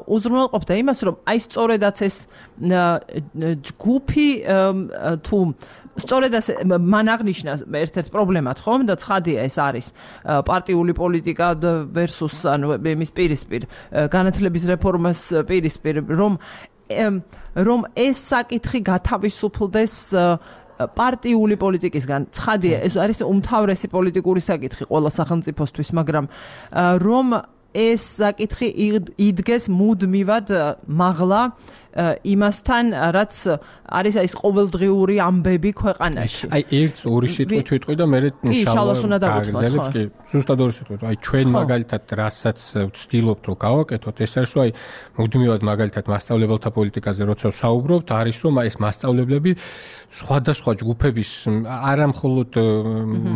უზრუნველყოფდა იმას, რომ აი სწორედაც ეს ჯგუფი თუ სწორედაც მან აღნიშნა ერთ-ერთ პრობლემად, ხომ? და ცხადია ეს არის პარტიული პოლიტიკა versus ანუ იმის პირისპირ განათლების რეფორმას პირისპირ, რომ ეს საკითხი გათავისუფლდეს პარტიული პოლიტიკისგან. ცხადია, ეს არის უმთავრესი პოლიტიკური საკითხი ყველა სახელმწიფოსთვის, მაგრამ რომ ეს საკითხი იდგეს მუდმივად მაღლა იმასთან, რაც არის ეს ყოველდღიური ამბები ქვეყანაში. აი ერთს ორი სიტყვით ვიტყვი და მე შალვას უნდა დავუთმოთ, ხო? კი, ზუსტად ორი სიტყვით. აი ჩვენ მაგალითად რასაც ვცდილობთ რომ გავაკეთოთ, ეს არის რომ აი მუდმივად მაგალითად მასწავლებელთა პოლიტიკაზე როცა ვსაუბრობთ, არის რომ ეს მასწავლებლები სხვადასხვა ჯგუფების არა მხოლოდ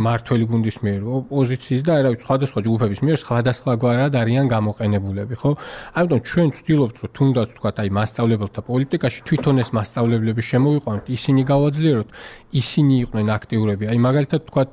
მართველი გუნდის მიერ, ოპოზიციის და აი სხვადასხვა ჯგუფების მიერ სხვადასხვაგვარად არიან გამოყენებულები, ხო? ამიტომ ჩვენ ვცდილობთ რომ თუნდაც თქვა აი მასწავლებელთა პოლიტიკაში თვითონ ეს მასწავლებლები შემოვიყვანოთ, ისინი გავაძლიეროთ, ისინი იყვნენ აქტიურები. აი მაგალითად თქვათ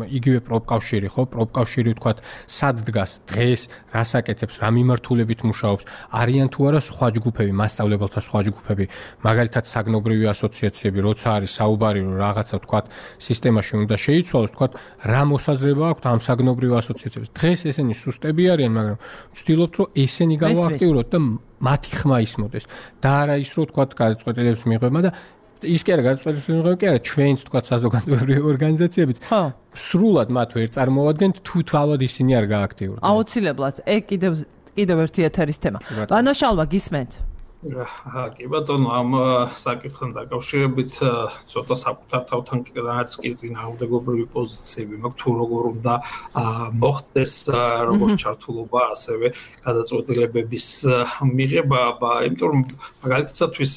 იგივე პროფკავშირი, ხო? პროფკავშირი თქვათ სად დგას დღეს, რას აკეთებს, რა მიმართულებით მუშაობს, არიან თუ არა სხვა ჯგუფები, მასწავლებელთა სხვა ჯგუფები, მაგალითად საგნობრივი ასოციაციები, როცა არის საუბარი რომ რაღაცა თქვათ სისტემაში უნდა შეიცვალოს, თქვათ რა მოსაზრება აქვს ამ საგნობრივ ასოციაციებს. დღეს ესენი სუსტები არიან, მაგრამ ვცდილობთ რომ ესენი გავააქტიუროთ და მათი ხმა ისმოდეს. და არა ის რომ თქვათ გადაწყვეტილებას მიიღება და ის კი არა გადაწყვეტილებას მიიღება, კი არა ჩვენც თქვათ საზოგადოებრივი ორგანიზაციებით. სრულად მათ ვერ წარმოვადგენთ თუ თავად ისინი არ გააქტიურდნენ. აუცილებლად. კიდევ ერთი ეთერის თემა. ბანო შალვა გისმენთ? კი ბატონო, ამ საკითხთან დაკავშირებით ცოტა საკუთარ თავთან კიდევაც კი წინააღმდეგობრივი პოზიციები მაქვს, თუ როგორ უნდა მოხდეს როგორც ჩართულობა, ასევე გადაწყვეტილებების მიღება, იმიტომ რომ მაგალითადაც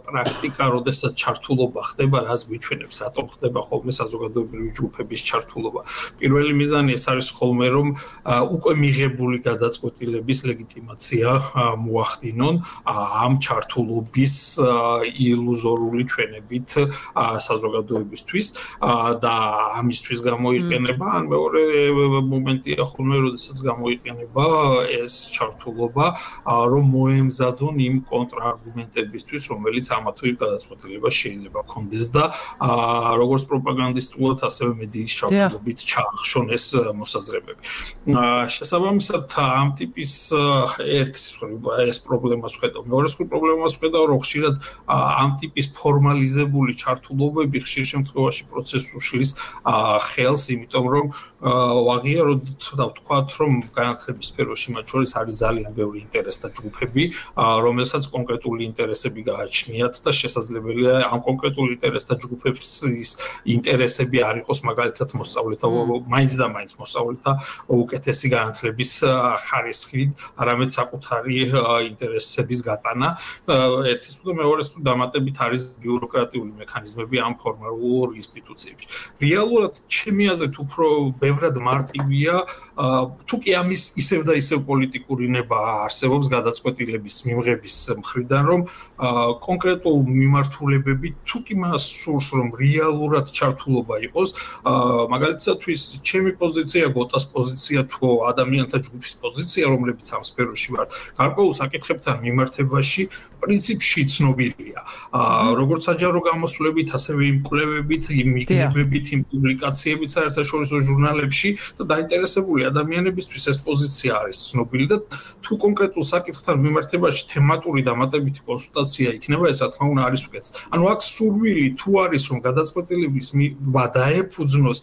პრაქტიკა, როდესაც ჩართულობა ხდება, რას გვიჩვენებს, რატომ ხდება ხოლმე საზოგადოებრივი ჯგუფების ჩართულობა. პირველი მიზანი ეს არის ხოლმე, რომ უკვე მიღებული გადაწყვეტილების ლეგიტიმაცია მოახდინონ ამ ჩართულობის ილუზორული ჩვენებით საზოგადოებისთვის და ამისთვის გამოიყენება ან მეორე მომენტია ხოლმე, როდესაც გამოიყენება ეს ჩართულობა, რომ მოემზადონ იმ კონტრარგუმენტებისთვის, რომელიც ამა თუ იმ გადაწყვეტილებას შეიძლება ჰქონდეს და როგორც პროპაგანდისტულად, ასევე მედიის ჩართულობით ჩაახშონ ეს მოსაზრებები. შესაბამისად, ამ ტიპის ეს პრობლემას ხედავ. მეორე პრობლემას ხედავ, რომ ხშირად ამ ტიპის ფორმალიზებული ჩართულობები ხშირ შემთხვევაში პროცესს უშლის ხელს, იმიტომ რომ ვაღიაროთ და ვთქვათ, რომ განათლების სფეროში მათ შორის არის ძალიან ბევრი ინტერესთა ჯგუფები, რომელსაც კონკრეტული ინტერესები გააჩნიათ და შესაძლებელია ამ კონკრეტული ინტერესთა ჯგუფების ინტერესები არ იყოს მაგალითად მოსწავლეთა, მაინც და მაინც მოსწავლეთა უკეთესი განათლების ხარისხით, არამედ საკუთარი ინტერესების გატანა ერთის და მეორეს დამატებით არის ბიუროკრატიული მექანიზმები ამ ფორმალურ ინსტიტუციებში. რეალურად ჩემი აზრით უფრო ბევრად მარტივია თუ კი ამის ისევ და ისევ პოლიტიკური ნება არსებობს გადაწყვეტილების მიღების მხრიდან რომ კონკრეტულ მიმართულებები თუ კი მას სურს რომ რეალურად ჩართულობა იყოს მაგალითად ჩემი პოზიცია გოტას პოზიცია თუ ადამიანთა ჯგუფის პოზიცია რომლებიც ამ სფეროში ვარ გარკვეულ საკითხებთან მიმართებაში პრინციპში ცნობილია როგორც საჯარო გამოსვლებით ასევე იმ კვლევებით იმ მიგრებებით იმ პუბლიკაციებით საერთაშორისო ჟურნალებში და დაინტერესებული ადამიანებისთვის ეს პოზიცია არის ცნობილი და თუ კონკრეტულ საკითხთან მიმართებაში თემატური დამატებითი კონსულტაცია იქნება ეს რა თქმა უნდა არის უკეთეს ანუ აქ სურვილი თუ არის რომ გადაწყვეტილების დაეფუძნოს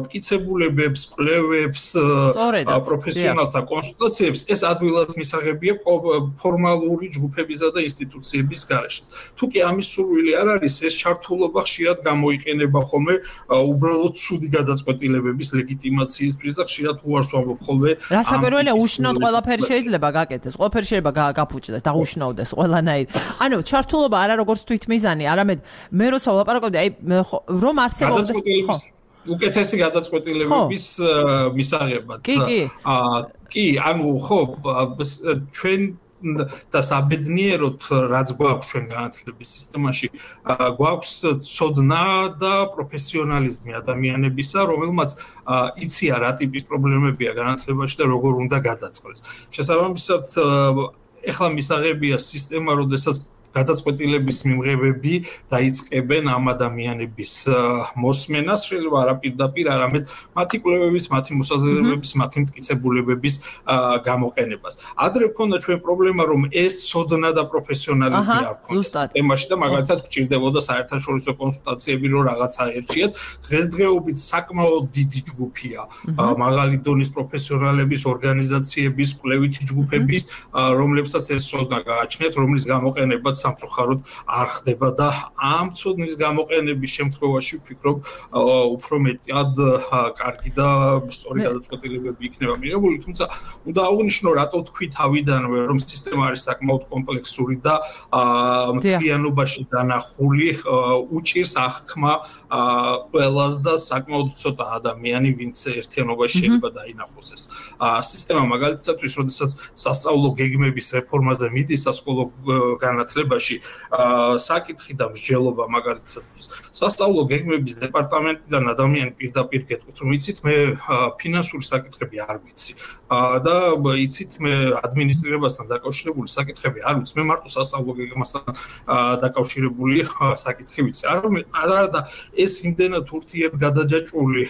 მტკიცებულებებს კვლევებს პროფესიონალთა კონსულტაციებს ეს ადვილად მისაღებია ფორმალური ჯგუფებისა და ინსტიტუციების გარეშე თუ კი ამის სურვილი არ არის ეს ჩართულობა ხშირად გამოიყენება ხოლმე უბრალოდ ცუდი გადაწყვეტილებების ლეგიტიმაციისთვის და ხშირად უარს ვამბობ ხოლმე რასაკვირველია უშნოდ ყველაფერი შეიძლება გაკეთდეს ყველაფერი შეიძლება გაფუჭდეს და უშნოდეს ყველანაირ ანუ ჩართულობა არა როგორც თვითმიზანი არამედ მე როცა ვლაპარაკობდი აი რომ არსებობს უკეთესი გადაწყვეტილებების მისაღებად კი ანუ ხო ჩვენ და საბედნიეროდ რაც გვაქვს ჩვენ განათლების სისტემაში გვაქვს ცოდნა და პროფესიონალიზმი ადამიანებისა რომელმაც იციან რა ტიპის პრობლემებია განათლებაში და როგორ უნდა გადაწყდეს შესაბამისად ეხლა მისაღებია სისტემა როდესაც გადაწყვეტილების მიმღებები დაიწყებენ ამ ადამიანების მოსმენას შეიძლება არა პირდაპირ არამედ მათი კვლევების მათი მოსაზრებების მათი მტკიცებულებების გამოყენებას ადრე ქონდა ჩვენ პრობლემა რომ ეს ცოდნა და პროფესიონალიზმი არ ქონდა სისტემაში და მაგალითად გჭირდებოდა საერთაშორისო კონსულტაციები რომ რაღაცა ერჩიათ დღესდღეობით საკმაოდ დიდი ჯგუფია მაღალი დონის პროფესიონალების ორგანიზაციების კვლევითი ჯგუფების რომლებსაც ეს ცოდნა გააჩნიათ რომლის გამოყენებაც სამწუხაროდ არ ხდება და ამ ცოდნის გამოყენების შემთხვევაში ვფიქრობ უფრო მეტად კარგი და სწორი გადაწყვეტილებები იქნება მიღებული თუმცა უნდა აღვნიშნო რატო თქვი თავიდანვე რომ სისტემა არის საკმაოდ კომპლექსური და მთლიანობაში დანახული უჭირს აღქმა ყველას და საკმაოდ ცოტა ადამიანი ვინც ერთიანობაში შეიძლება დაინახოს ეს სისტემა მაგალითადაც როდესაც სასწავლო გეგმების რეფორმაზე მიდის სასკოლო განათლებაში საკითხი და მსჯელობა მაგალითად სასწავლო გეგმების დეპარტამენტიდან ადამიანი პირდაპირ გეტყვით რომ იცით მე ფინანსური საკითხები არ ვიცი და იცით მე ადმინისტრირებასთან დაკავშირებული საკითხები არ ვიცი მე მარტო სასწავლო გეგმასთან დაკავშირებული საკითხი ვიცი არა და ეს იმდენად ურთიერთ გადაჯაჭვული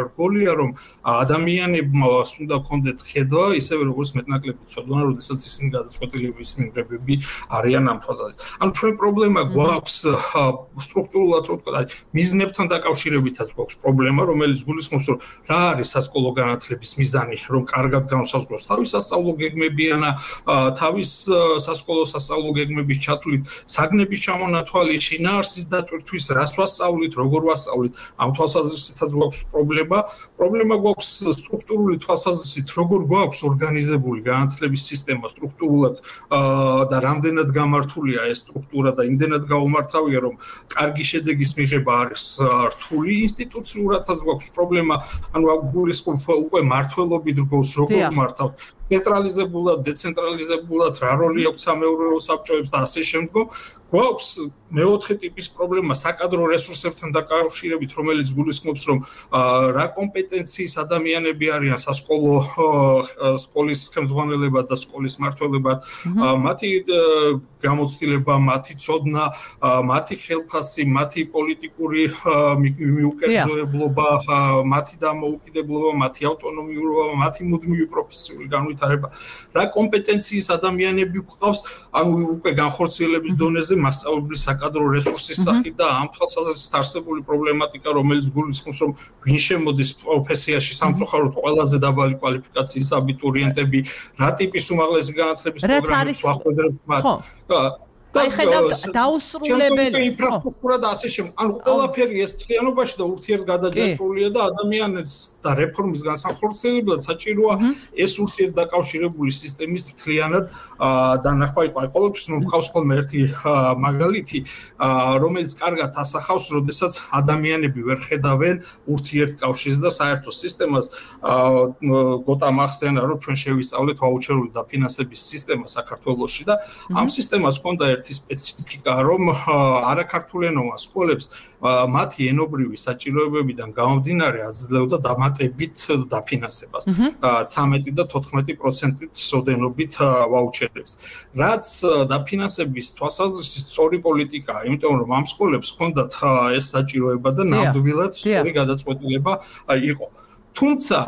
რგოლია რომ ადამიანებს უნდა ქონდეთ ხედვა ისევე როგორც მეტნაკლები ცოდნა როდესაც ისინი გადაწყვეტილების მიმღებები არიან ამ თვალსაზრისით. ანუ ჩვენ პრობლემა გვაქვს სტრუქტურულად რო ვთქვა, მიზნებთან დაკავშირებითაც გვაქვს პრობლემა, რომელიც გულისხმობს, რომ რა არის სასკოლო განათლების მიზანი, რომ კარგად განსაზღვროს თავის სასწავლო გეგმებიანა, თავის სასკოლო სასწავლო გეგმების ჩათვლით, საგნების ჩამონათვალი, შინაარსის დატვირთვის, რას ვასწავლით, როგორ ვასწავლით, ამ თვალსაზრისითაც გვაქვს პრობლემა. პრობლემა გვაქვს სტრუქტურული თვალსაზრისით, როგორ გვაქვს ორგანიზებული განათლების სისტემა სტრუქტურულად და რამდენად გამართულია ეს სტრუქტურა და იმდენად გაუმართავია რომ კარგი შედეგის მიღება არის რთული ინსტიტუციურადაც გვაქვს პრობლემა ანუ გულისხმობ უკვე მართლობი დროის როგორ მართავთ ცენტრალიზებულად დეცენტრალიზებულად რა როლი აქვს სამეურვეო საბჭოებს და ასე შემდგომ გვაქვს მეოთხე ტიპის პრობლემა საკადრო რესურსებთან დაკავშირებით რომელიც გულისხმობს რომ რა კომპეტენციის ადამიანები არიან სასკოლო სკოლის ხელმძღვანელება და სკოლის მმართველობა მათი გამოცდილება მათი ცოდნა მათი ხელფასი მათი პოლიტიკური მიუკერძოებლობა მათი დამოუკიდებლობა მათი ავტონომიურობა მათი მუდმივი პროფესიული განვითარება რა კომპეტენციის ადამიანები გვყავს ანუ უკვე განხორციელების დონეზე მასწავლებლის საკადრო რესურსის სახით და ამ თვალსაზრისით არსებული პრობლემატიკა რომელიც გულისხმობს რომ ვინ შემოდის პროფესიაში სამწუხაროდ ყველაზე დაბალი კვალიფიკაციის აბიტურიენტები რა ტიპის უმაღლესი განათლების პროგრამებს ვახვედრებთ მათ აი ხედავთ დაუსრულებელი ინფრასტრუქტურა და ასე შემდეგ. ანუ ყველაფერი ეს მთლიანობაში და ურთიერთგადაჯაჭვულია და ადამიანებს და რეფორმის განსახორციელებლად საჭიროა ეს ურთიერთდაკავშირებული სისტემის მთლიანად დანახვა იყო. აი ყოველთვის მომხავს ხოლმე ერთი მაგალითი, რომელიც კარგად ასახავს, როდესაც ადამიანები ვერ ხედავენ ურთიერთკავშირს და საერთო სისტემას. გოტა მახსენა, რომ ჩვენ შევისწავლეთ ვაუჩერული დაფინანსების სისტემა საქართველოში და ამ სისტემას ჰქონდა ერთი სპეციფიკა, რომ არაქართულენოვან სკოლებს მათი ენობრივი საჭიროებებიდან გამომდინარე აძლევდა დამატებით დაფინანსებას 13 და 14%-ით სოდენობით ვაუჩერებს. რაც დაფინანსების თვალსაზრისით სწორი პოლიტიკაა, იმიტომ რომ ამ სკოლებს ჰქონდათ ეს საჭიროება და ნამდვილად სწორი გადაწყვეტილება იყო. თუმცა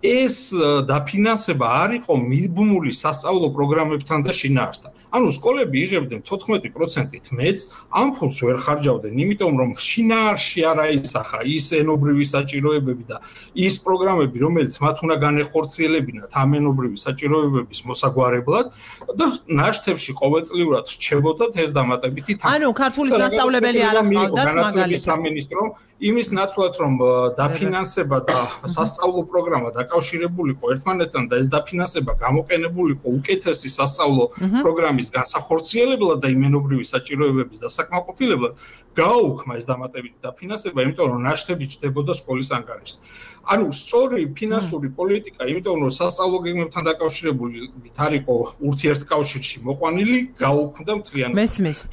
ეს დაფინანსება არ იყო მიბმული სასწავლო პროგრამებთან და შინაარსთან. ანუ სკოლები იღებდნენ 14%-ით მეც, ამ ფულს ვერ ხარჯავდნენ, იმიტომ რომ შინაარსში არ აისახა ის ენობრივი საჭიროებები და ის პროგრამები, რომელიც მათ უნდა განეხორციელებინათ ამ ენობრივი საჭიროებების მოსაგვარებლად და ნაშთებში ყოველწლიურად რჩებოდათ ეს დამატებითი თანხა. ანუ ქართულის მასწავლებელი არ ახავდათ მაგალითად სამინისტრო იმის ნაცვლად რომ დაფინანსება და სასწავლო პროგრამა დაკავშირებულიყო ერთმანეთთან და ეს დაფინანსება გამოყენებულიყო უკეთესი სასწავლო პროგრამის განსახორციელებლად და იმენობრივი საჭიროებების დასაკმაყოფილებლად, გააუქმა ეს დამატებითი დაფინანსება, იმიტომ რომ ნაშთები ჯდებოდა სკოლის ანგარიშს. ანუ სწორი ფინანსური პოლიტიკა, იმიტომ რომ სასწავლო გეგმებთან დაკავშირებული არ იყო ურთიერთკავშირში მოყვანილი, გააუქმდა მთლიანად.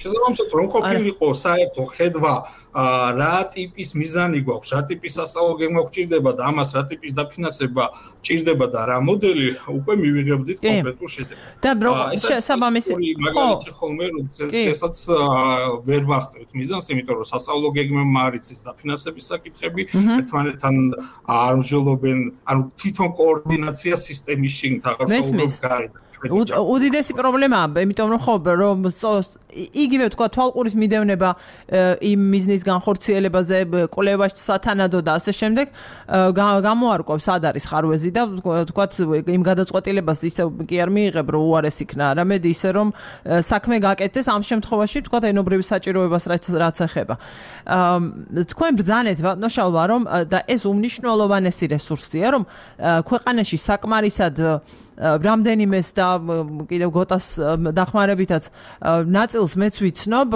შესაბამისად, რომ ყოფილიყო საერთო ხედვა რა ტიპის მიზანი გვაქვს, რა ტიპის სასწავლო გეგმა გვჭირდება და ამას რა ტიპის დაფინანსება ჭირდება და რა მოდელი უკვე მივიღებდით კონკრეტულ შედეგს. და შესაბამისად, მაგალითი ხოლმე როდესაც ვერ ვახცევთ მიზანს, იმიტომ რომ სასწავლო გეგმებმა არ იცის დაფინანსების საკითხები, ერთმანეთთან არ მსჯელობენ, ანუ თვითონ კოორდინაცია სისტემის შიგნით აღარ საუბრობთ გარეთ. უდიდესი პრობლემაა, იმიტომ რომ ხო რომ იგივე თქვა თვალყურის მიდევნება იმ მიზნის განხორციელებაზე, კვლევაში სათანადო და ასე შემდეგ გამოარკვევს სად არის ხარვეზი და თქვა იმ გადაწყვეტილებას ისე კი არ მიიღებ, რომ უარეს იქნა, არამედ ისე რომ საქმე გაკეთდეს ამ შემთხვევაში თქვა ენობრივი საჭიროებას რაც ეხება. თქვენ ბრძანეთ ბატონშალვა რომ და ეს უმნიშვნელოვანესი რესურსია, რომ ქვეყანაში საკმარისად რამდენიმეს და კიდევ გოტას დახმარებითაც ნაწილს მეც ვიცნობ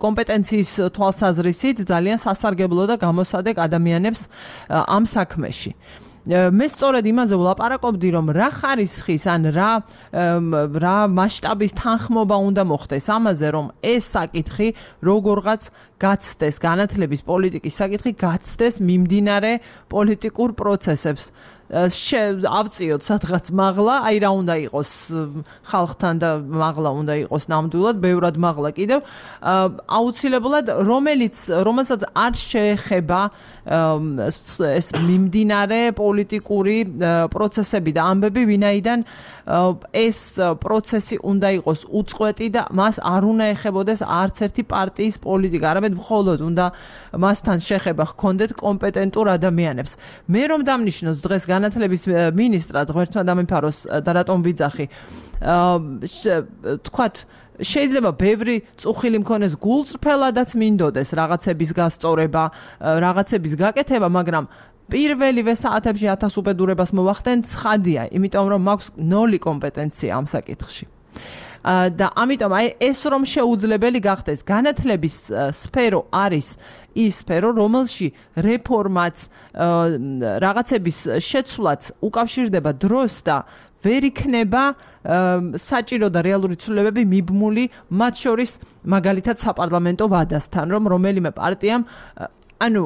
კომპეტენციის თვალსაზრისით ძალიან სასარგებლო და გამოსადეგ ადამიანებს ამ საქმეში. მე სწორედ იმაზე ვლაპარაკობდი, რომ რა ხარისხის ან რა მასშტაბის თანხმობა უნდა მოხდეს ამაზე, რომ ეს საკითხი როგორღაც გაცდეს, განათლების პოლიტიკის საკითხი გაცდეს მიმდინარე პოლიტიკურ პროცესებს. ავწიოთ სადღაც მაღლა, აი რა უნდა იყოს ხალხთან და მაღლა უნდა იყოს ნამდვილად, ბევრად მაღლა კიდევ, აუცილებლად რომელსაც არ შეეხება ეს მიმდინარე პოლიტიკური პროცესები და ამბები, ვინაიდან ეს პროცესი უნდა იყოს უწყვეტი და მას არ უნდა ეხებოდეს არც ერთი პარტიის პოლიტიკა, არამედ მხოლოდ უნდა მასთან შეხება ჰქონდეთ კომპეტენტურ ადამიანებს. მე რომ დამნიშნოს დღეს განათლების მინისტრად ღმერთმა დამიფაროს და რატომ ვიძახი, თქვათ შეიძლება ბევრი წუხილი მქონეს გულწრფელადაც მინდოდეს რაღაცების გასწორება, რაღაცების გაკეთება, მაგრამ პირველივე საათებში 1000 უბედურებას მოვახდენ ცხადია, იმიტომ რომ მაქვს 0 კომპეტენცია ამ საკითხში. და ამიტომ აი ეს რომ შეუძლებელი გახდეს, განათლების სფერო არის ის სფერო, რომელში რეფორმაც, რაღაცების შეცვლაც უკავშირდება დროს და ვერ იქნება საჭირო და რეალური ცვლილებები მიბმული, მათ შორის მაგალითად საპარლამენტო ვადასთან, რომ რომელიმე პარტიამ ანუ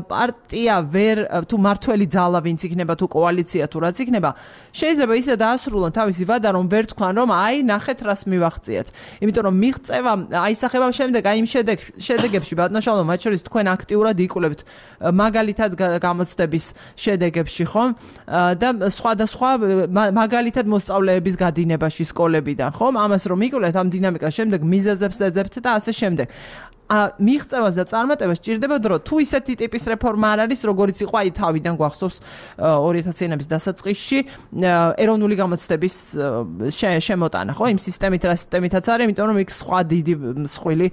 პარტია ვერ თუ მართველი ძალა ვინც იქნება თუ კოალიცია თუ რაც იქნება შეიძლება ისე დაასრულონ თავისი ვადა რომ ვერ თქვან რომ აი ნახეთ რას მივახციეთ იმიტომ რომ მიღწევა აისახება შემდეგ აი იმ შედეგებში ბატონშალო მათ შორის თქვენ აქტიურად იკვლევთ მაგალითად გამოცდების შედეგებში ხომ და სხვადასხვა მაგალითად მოსწავლეების გადინებაში სკოლებიდან ხომ ამას რომ იკვლევთ ამ დინამიკას შემდეგ მიზეზებს ეძებთ და ასე შემდეგ მიღწევას და წარმატებას სჭირდება დრო. თუ ისეთი ტიპის რეფორმა არ არის, როგორიც იყო აი თავიდან გვახსოვს 2000-იანების დასაწყისში ეროვნული გამოცდების შემოტანა, ხო, იმ სისტემით რა სისტემითაც არის, იმიტომ რომ იქ სხვა დიდი მსხვილი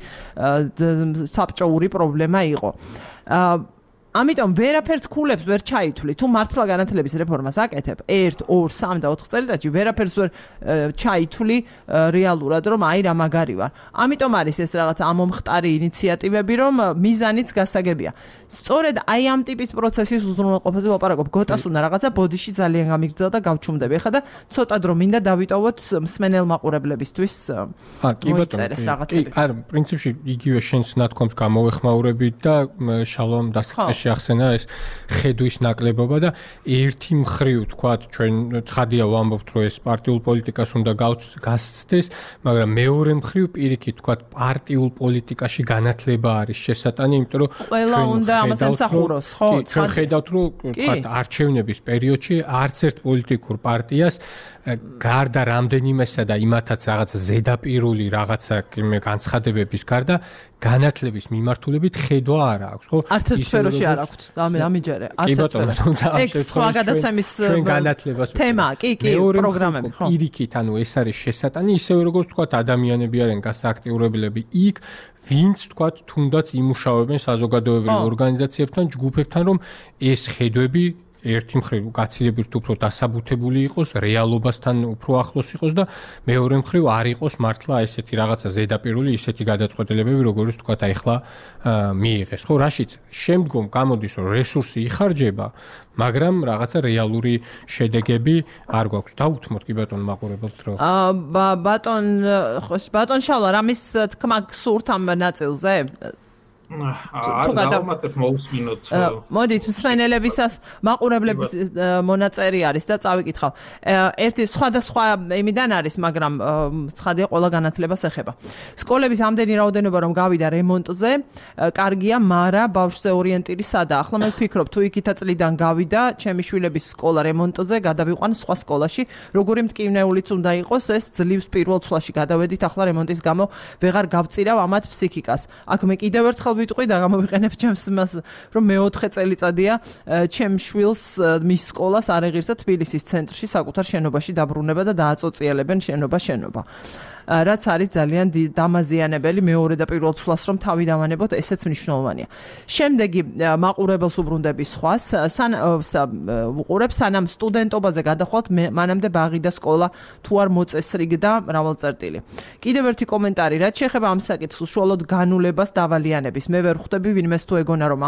საბჭოური პრობლემა იყო. ამიტომ ვერაფერს ქულებს ვერ ჩაითვლი. თუ მართლა განათლების რეფორმას აკეთებ 1, 2, 3 და 4 წელიწადში ვერაფერს ვერ ჩაითვლი რეალურად, რომ აი რა მაგარი ვარ. ამიტომ არის ეს რაღაც ამომხტარი ინიციატივები, რომ მიზანიც გასაგებია. სწორედ აი ამ ტიპის პროცესის უზრუნველყოფაზე ვაპარაკობ. გოტას უნდა რაღაცა ბოდიში ძალიან გამიგრძელა და გავჩუმდები. ეხლა და ცოტა დრო მინდა დავიტოვოთ მსმენელ მაყურებლებისთვის. კი ბატონო. კი, არა, პრინციპში იგივე შენს ნათქვამს გამოვეხმაურებით და შალომ დასაწყისში ახსენა ეს ხედვის ნაკლებობა და ერთი მხრივ თქვათ ჩვენ ცხადია ვამბობთ რომ ეს პარტიულ პოლიტიკას უნდა გასცდეს, მაგრამ მეორე მხრივ პირიქით თქვათ პარტიულ პოლიტიკაში განათლება არის შესატანი, იმიტომ რომ ყველა უნდა ამას ემსახუროს, ხო? ჩვენ ხედავთ რომ თქვათ არჩევნების პერიოდში არც ერთ პოლიტიკურ პარტიას გარდა რამდენიმესა და იმათაც რაღაც ზედაპირული რაღაცა განცხადებების გარდა განათლების მიმართულებით ხედვა არ აქვს, ხო? არც ერთ სფეროში არ აქვს. ამიჯერე, არც ერთ სფეროში. სხვა გადაცემის თემაა, კი, პროგრამები, ხო? პირიქით, ანუ ეს არის შესატანი, ისევე როგორც თქვათ ადამიანები არიან გასააქტიურებლები იქ, ვინც თქვათ თუნდაც იმუშავებენ საზოგადოებრივ ორგანიზაციებთან, ჯგუფებთან, რომ ეს ხედვები ერთი მხრივ გაცილებით უფრო დასაბუთებული იყოს, რეალობასთან უფრო ახლოს იყოს და მეორე მხრივ არ იყოს მართლა ესეთი რაღაცა ზედაპირული ისეთი გადაწყვეტილებები, როგორც თქვათ ახლა მიიღეს. ხო, რაშიც შემდგომ გამოდის, რომ რესურსი იხარჯება, მაგრამ რაღაცა რეალური შედეგები არ გვაქვს. დაუთმოთ კი ბატონ მაყურებელს რომ ბატონ შალა, რამის თქმა გსურთ ამ ნაწილზე? დავამატებ მოусმინოთ. მოდით მსმენელებისას მაყურებლების მონაწერი არის და წავიკითხავ. ერთი სხვადასხვა იმიდან არის, მაგრამ ცხადია ყველა განათლებას ეხება. სკოლების ამდენი რაოდენობა რომ გავიდა რემონტზე, კარგია, მაგრამ ბავშვზე ორიენტირი სადა. ახლა მე ვფიქრობ, თუ იქითა წლიდან გავიდა ჩემი შვილების სკოლა რემონტზე, გადავიყვან სხვა სკოლაში, როგორი მტკივნეულიც უნდა იყოს, ეს ძლივს პირველ ცვლაში გადავედით, ახლა რემონტის გამო ვეღარ გავწირავ ამათ ფსიქიკას. აქ მე კიდევ ერთხელ ვიტყვი და გამოვიყენებ ჩემს მას, რომ მე-4 წელიწადია ჩემ შვილს მის სკოლას არ ეღირსა თბილისის ცენტრში საკუთარ შენობაში დაბრუნება და დააწოწიელებენ შენობა. რაც არის ძალიან დამაზიანებელი მეორე და პირველ ცვლას რომ თავი დავანებოთ, ესეც მნიშვნელოვანია. შემდეგი მაყურებელს უბრუნდები სხვას, უყურებს სანამ სტუდენტობაზე გადახვალთ, მანამდე ბაღი და სკოლა თუ არ მოწესრიგდა მრავალწერტილი. კიდევ ერთი კომენტარი, რაც შეეხება ამ საკითხს, უშუალოდ განულებას დავალიანების. მე ვერ ხვდები ვინმეს თუ ეგონა რომ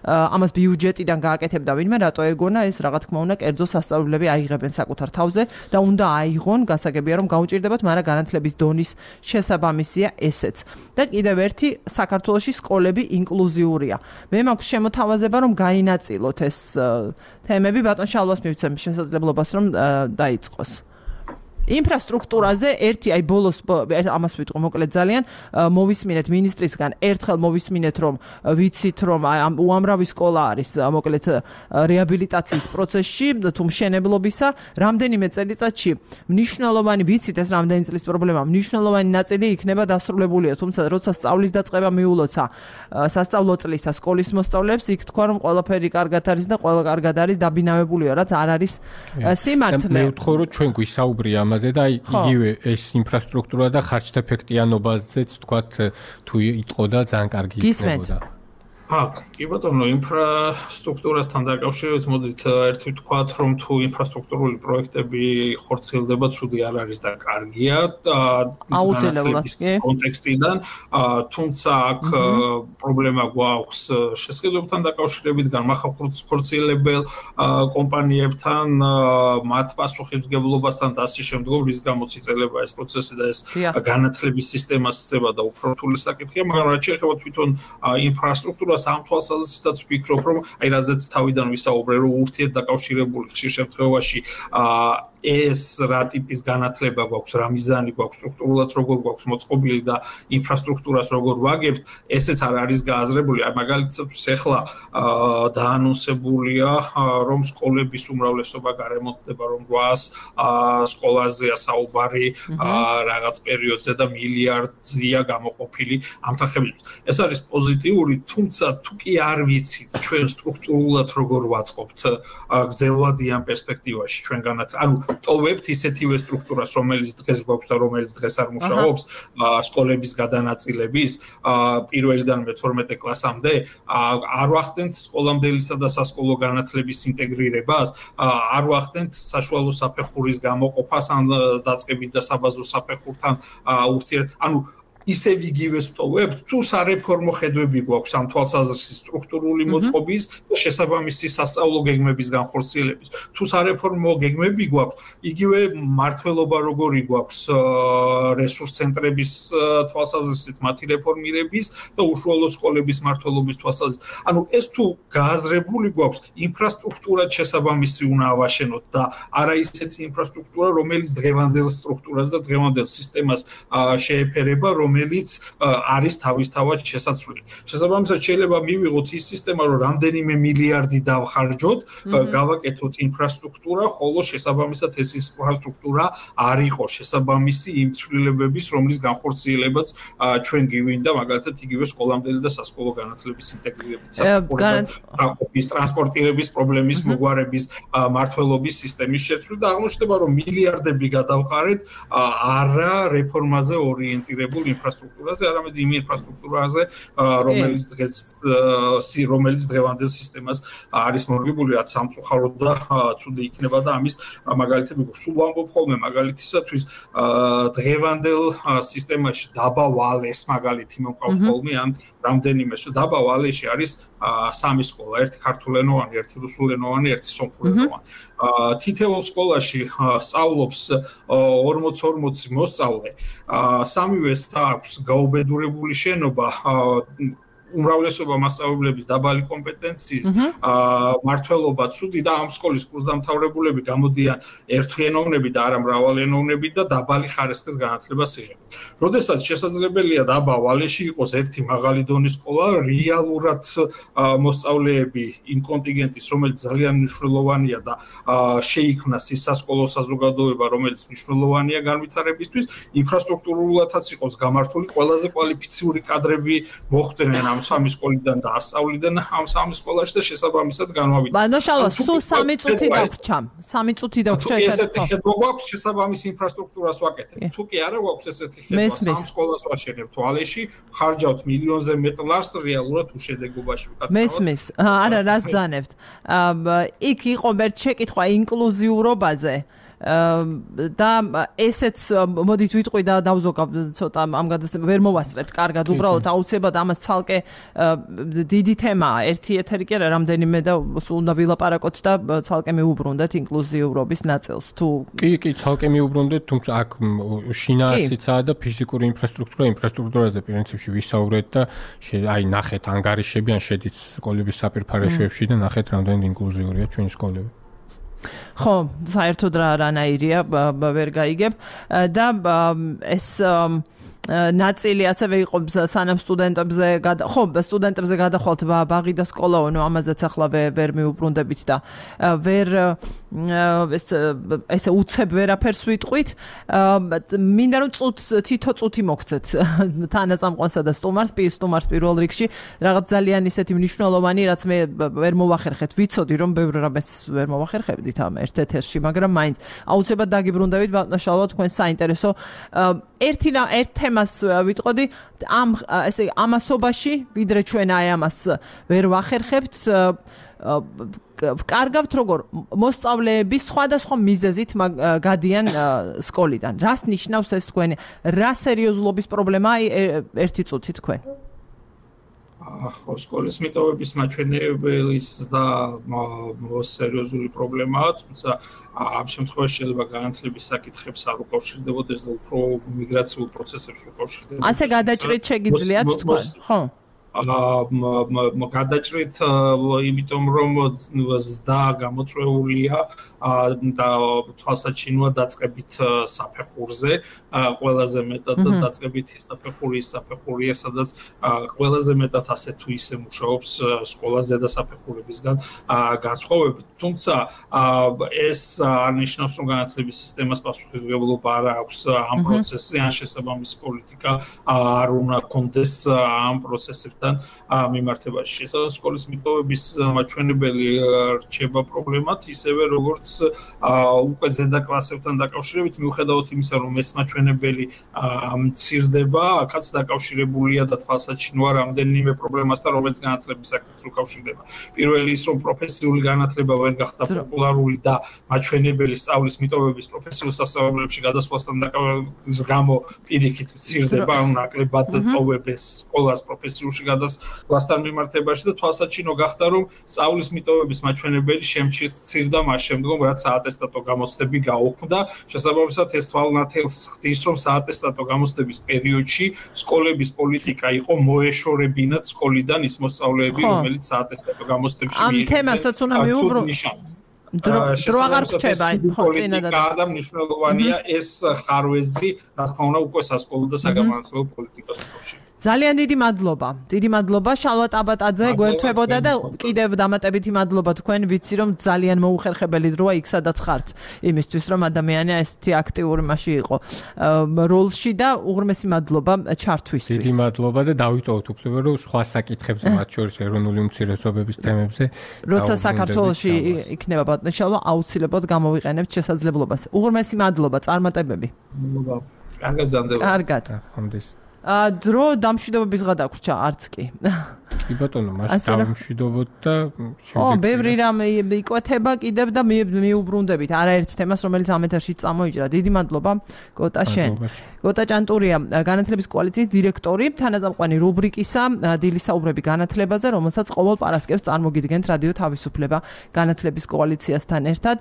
ამას ბიუჯეტიდან გააკეთებდა ვინმე, რატო ეგონა ეს რა თქმა უნდა კერძო სასწავლებლები აიღებენ საკუთარ თავზე და უნდა აიღონ, გასაგებია რომ გაუჭირდებათ, მაგრამ განათლების დონის შესაბამისია ესეც. და კიდევ ერთი, საქართველოში სკოლები ინკლუზიურია. მე მაქვს შემოთავაზება, რომ გაინაწილოთ ეს თემები, ბატონ შალვას მივცემ შესაძლებლობას, რომ დაიწყოს. ინფრასტრუქტურაზე ერთი აი ბოლოს ამას ვიტყვი მოკლედ ძალიან მოვისმინეთ მინისტრისგან ერთხელ მოვისმინეთ რომ ვიცით რომ უამრავი სკოლა არის მოკლედ რეაბილიტაციის პროცესში თუ მშენებლობისა რამდენიმე წელიწადში მნიშვნელოვანი ვიცით ეს რამდენი წლის პრობლემაა მნიშვნელოვანი ნაწილი იქნება დასრულებულია თუმცა როცა სწავლის დაწყება მიულოცა სასწავლო წლისა სკოლის მოსწავლეებს იქ თქვა რომ ყველაფერი კარგად არის და ყველა კარგად არის დაბინავებულია რაც არ არის სიმართლე მე ვთხოვ რომ ჩვენ გვისაუბრია ამაზე და იგივე ეს ინფრასტრუქტურა და ხარჯთეფექტიანობაზეც თქვათ თუ იტყო და ძალიან კარგი იქნებოდა. კი ბატონო, ინფრასტრუქტურასთან დაკავშირებით მოდით ერთი ვთქვათ, რომ თუ ინფრასტრუქტურული პროექტები ხორციელდება, ცუდი არ არის და კარგია განათლების კონტექსტიდან, თუმცა აქ პრობლემა გვაქვს შესყიდვებთან დაკავშირებით, განმახორციელებელ კომპანიებთან, მათ პასუხისმგებლობასთან და ასე შემდგომ, რის გამოც იწელება ეს პროცესი და ეს განათლების სისტემას ცდება და უფრო რთული საკითხია, მაგრამ რაც შეეხება თვითონ ინფრასტრუქტურას ამ თვალსაზრისითაც ვფიქრობ, რომ აი რაზეც თავიდან ვისაუბრე, რომ ურთიერთდაკავშირებული ხშირ შემთხვევაში ეს რა ტიპის განათლება გვაქვს, რა მიზანი გვაქვს, სტრუქტურულად როგორ გვაქვს მოწყობილი და ინფრასტრუქტურას როგორ ვაგებთ, ესეც არ არის გააზრებული. მაგალითად, ეხლა დაანონსებულია, რომ სკოლების უმრავლესობა გარემონტდება, რომ 800 სკოლაზეა საუბარი რაღაც პერიოდზე და მილიარდია გამოყოფილი ამ თანხებისთვის. ეს არის პოზიტიური, თუმცა თუ კი არ ვიცით ჩვენ სტრუქტურულად როგორ ვაწყობთ გრძელვადიან პერსპექტივაში ჩვენ ანუ ტოვებთ ისეთივე სტრუქტურას, რომელიც დღეს გვაქვს და რომელიც დღეს არ მუშაობს, სკოლების გადანაწილების პირველიდან მე-12 კლასამდე, არ ვახდენთ სკოლამდელისა და სასკოლო განათლების ინტეგრირებას, არ ვახდენთ საშუალო საფეხურის გამოყოფას ან დაწყებით და საბაზო საფეხურთან ანუ ისევ იგივე სტოვებთ, თუ სარეფორმო ხედვები გვაქვს ამ თვალსაზრისით სტრუქტურული მოწყობის და შესაბამისი სასწავლო გეგმების განხორციელების. თუ სარეფორმო გეგმები გვაქვს, იგივე მართლობა როგორი გვაქვს რესურს ცენტრების თვალსაზრისით მათი რეფორმირების და უშუალო სკოლების მართლობის თვალსაზრისით. ანუ ეს თუ გააზრებული გვაქვს, ინფრასტრუქტურა შესაბამისი უნდა ავაშენოთ და არა ისეთი ინფრასტრუქტურა, რომელიც დღევანდელ სტრუქტურას და დღევანდელ სისტემას შეეფერება, რომელიც არის თავისთავად შესაძლებელი. შესაბამისად შეიძლება მივიღოთ ის სისტემა, რომ რამდენიმე მილიარდი დავხარჯოთ, გავაკეთოთ ინფრასტრუქტურა, ხოლო შესაბამისად ეს ინფრასტრუქტურა არ იყოს შესაბამისი იმ ცვლილებების, რომლის განხორციელებაც ჩვენ გივინდა, მაგალითად იგივე სკოლამდელი და სასკოლო განათლების ინტეგრირებით, საყოფის ტრანსპორტირების პრობლემის მოგვარების, მართლობის სისტემის შეცვლა და აღმოჩნდება, რომ მილიარდები გადავხარეთ არა რეფორმაზე ორიენტირებულ ინფრასტრუქტურაზე, არამედ იმ ინფრასტრუქტურაზე, რომელიც დღევანდელ სისტემას არის მორგებული, რაც სამწუხაროდ და ცუდი იქნება და ამის მაგალითები სულ ვამბობ ხოლმე მაგალითისათვის დღევანდელ სისტემაში დაბა ვალეს მაგალითი მომყავს ხოლმე ან რამდენიმე დაბა ვალეში არის 3 სკოლა, ერთი ქართულენოვანი, ერთი რუსულენოვანი, ერთი სომხურენოვანი. თითოეულ სკოლაში სწავლობს 40-40 მოსწავლე. სამივეს აქვს გაუბედურებული შენობა, უმრავლესობა მასწავლებლების დაბალი კომპეტენციის, მართლობა ცუდი და ამ სკოლის კურსდამთავრებულები გამოდიან ერთენოვნები და არა მრავალენოვნები და დაბალი ხარისხის განათლებას იღებენ. როდესაც შესაძლებელია დაბა ვალეში იყოს ერთი მაღალი დონის სკოლა, რეალურად მოსწავლეები იმ კონტინგენტის, რომელიც ძალიან მნიშვნელოვანია და შეიქმნას ის სასკოლო საზოგადოება, რომელიც მნიშვნელოვანია განვითარებისთვის, ინფრასტრუქტურულადაც იყოს გამართული ყველაზე კვალიფიციური კადრები მოხვდნენ ამ 3 სკოლიდან და ასწავლიდან ამ 3 სკოლაში და შესაბამისად განვავიდა. ბანოშალო, სულ 3 წუთი დაგვრჩამ. 3 წუთი დაგვრჩა ერთად. ესეთი ხედვა გვაქვს, შესაბამის ინფრასტრუქტურას ვაკეთებთ. თუ კი არა გვაქვს ესეთი ხედვა, 3 სკოლას ვაშენებთ ვალეში, ხარჯავთ მილიონზე მეტ ლარს რეალურად უშედეგობაში ვკაცავთ. მესმის. არა, რას ძანებთ. იქ იყო ერთ შეკითხვა ინკლუზიურობაზე. და ესეც მოდით ვიტყვი და დავზოგავ ცოტა ამ გადაცემას ვერ მოვასწრებთ კარგად უბრალოდ აუცილებლად ამას ცალკე დიდი თემაა ერთი ეთერი კი არა რამდენიმე და სულ უნდა ვილაპარაკოთ და ცალკე მიუბრუნდეთ ინკლუზიურობის ნაწილს თუ კი ცალკე მიუბრუნდეთ თუმცა აქ შინაარსიცაა და ფიზიკური ინფრასტრუქტურაზე პრინციპში ვისაუბრეთ და აი ნახეთ ანგარიშები ან შედით სკოლების საპირფარეშოებში და ნახეთ რამდენი ინკლუზიურია ჩვენი სკოლები ხო, საერთოდ რანაირია ვერ გაიგებ და ეს ნაწილი ასევე იყო სანამ სტუდენტებზე ხო სტუდენტებზე გადახვალთ ბაღი და სკოლაო ნუ ამაზეც ახლა ვერ მიუბრუნდებით და ვერ ესე უცებ ვერაფერს ვიტყვით მინდა რომ თითო წუთი მოგცეთ თანაწამყვანსა და სტუმარს პირველ რიგში რაღაც ძალიან ისეთი მნიშვნელოვანი რაც მე ვერ მოვახერხეთ ვიცოდი რომ ბევრ რამეს ვერ მოვახერხებდით ამ ერთ ეთერში მაგრამ მაინც აუცილებლად დაგიბრუნდებით ბატონო თქვენ საინტერესო ერთ თემას ვიტყოდი ამ ესე ამასობაში ვიდრე ჩვენ აი ამას ვერ ვახერხებთ კარგავთ როგორ მოსწავლეები სხვადასხვა მიზეზით გადიან სკოლიდან რას ნიშნავს ეს თქვენი რა სერიოზულობის პრობლემაა ერთი წუთი თქვენ ხო სკოლის მიტოვების მაჩვენებლის და სერიოზული პრობლემაა თუმცა ამ შემთხვევაში შეიძლება განათლების საკითხებს არ უკავშირდებოდეს და უფრო მიგრაციულ პროცესებს უკავშირდებოდეს. ასე გადაჭრით შეგიძლიათ თქვენ, ხო? გადაჭრით იმიტომ რომ ზდა გამოწვეულია და თვალსაჩინოა დაწყებით საფეხურზე ყველაზე მეტად დაწყებით საფეხურია სადაც ყველაზე მეტად ასე თუ ისე მუშაობს სკოლაზე და საფეხურებისგან განსხვავებით თუმცა ეს არნიშნავს რომ განათლების სისტემას პასუხისმგებლობა არ აქვს ამ პროცესზე ან შესაბამისი პოლიტიკა არ უნდა კონდეს ამ პროცესებთან მიმართებაში შესაძლოა სკოლის მიტოვების მაჩვენებელი რჩება პრობლემად ისევე როგორც უკვე ზედა კლასებთან დაკავშირებით მიუხედავად იმისა რომ ეს მაჩვენებელი მცირდება აქაც დაკავშირებულია და თვალსაჩინოა რამდენიმე პრობლემასთან რომელიც განათლების საკითხს უკავშირდება პირველი ის რომ პროფესიული განათლება ვერ გახდა პოპულარული და მაჩვენებელი სწავლის მიტოვების პროფესიულ სასწავლებლებში გადასვლასთან დაკავშირების გამო პირიქით მცირდება ან ნაკლებად წოვებეს სკოლას პროფესიულში გადასვლასთან მიმართებაში და თვალსაჩინო გახდა რომ სწავლის მიტოვების მაჩვენებელი შემცირდა მას შემდგომ რაც საატესტატო გამოცდები გაუქმდა შესაბამისად ეს თვალნათელს ხდის რომ საატესტატო გამოცდების პერიოდში სკოლების პოლიტიკა იყო მოეშორებინათ სკოლიდან ის მოსწავლეები რომელიც საატესტატო გამოცდებში ამ თემასაც უნდა მიუღრო დრო აღარ რჩება ხო წინადად და მნიშვნელოვანია ეს ხარვეზი რა თქმა უნდა უკვე სასკოლო და საგამონათლებლო პოლიტიკას უკავშირდება ძალიან დიდი მადლობა შალვა ტაბატაძე გვერდთვებოდა და კიდევ დამატებითი მადლობა თქვენ ვიცი რომ ძალიან მოუხერხებელი დროა იქ სადაც ხართ იმისთვის რომ ადამიანი ესეთი აქტიური მასში იყო როლში და უღრმესი მადლობა ჩართვისთვის დიდი მადლობა და დავიტოვოთ უფლება რომ სხვა საკითხებზე მათ შორის ეროვნული უმცირესობების თემებზე როცა საქართველოში იქნება ბატონო შალვა აუცილებლად გამოვიყენებთ შესაძლებლობას უღრმესი მადლობა წარმატებები კარგად ზამდება კარგად ხომდის დრო დამშვიდობების ღა დაგვრჩა არც კი კი ბატონო მას დავმშვიდობოთ და შემდეგ ბევრი რამ იკვეთება კიდევ და მიუბრუნდებით არაერთ თემას რომელიც ამ ეთერში წამოიჭრა დიდი მადლობა გოტა შენ გოტა ჭანტურია განათლების კოალიციის დირექტორი თანაზამყვანი რუბრიკისა დილისაუბრები განათლებაზე რომელსაც ყოველ პარასკევს წარმოგიდგენთ რადიო თავისუფლება განათლების კოალიციასთან ერთად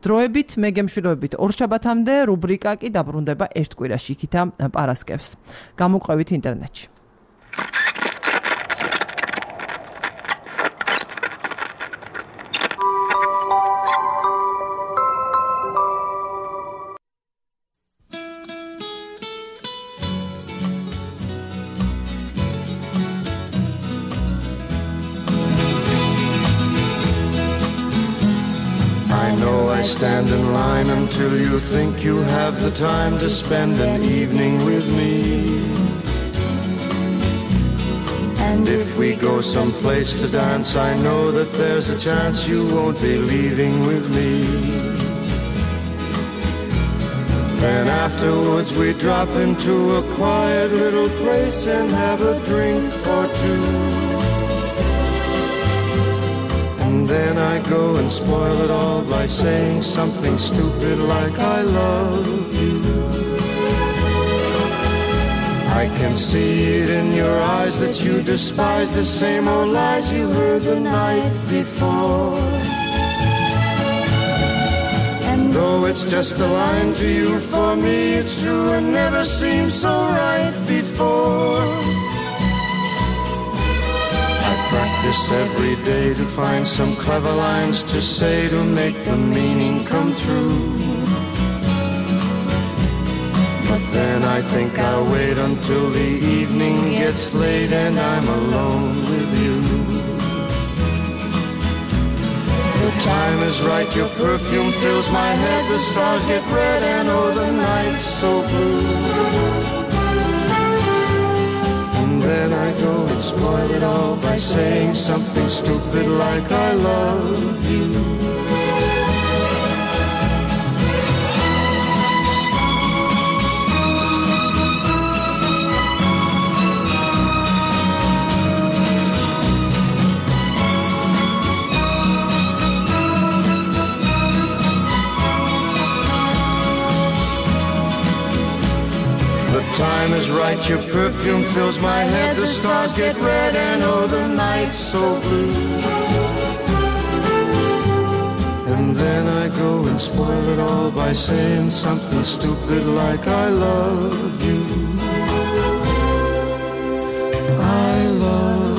დროებით მე გემშვიდობებით ორშაბათამდე რუბრიკა კი დაბრუნდება ერთ კვირაში იქითა პარასკევს გამოყვებით ინტერნეტში Stand in line until you think you have the time to spend an evening with me. And if we go someplace to dance, I know that there's a chance you won't be leaving with me. Then afterwards we drop into a quiet little place and have a drink or two. And then I go and spoil it all by saying something stupid like I love you. I can see it in your eyes that you despise the same old lies you heard the night before. And though it's just a line to you, for me it's true and never seemed so right before. Practice every day to find some clever lines to say to make the meaning come true. But then I think I'll wait until the evening gets late and I'm alone with you. The time is right, your perfume fills my head, the stars get red and oh the night's so blue. Then I go and spoil it all by saying something stupid like I love you. Time is right, your perfume fills my head, the stars get red and oh the night's so blue. And then I go and spoil it all by saying something stupid like I love you. I love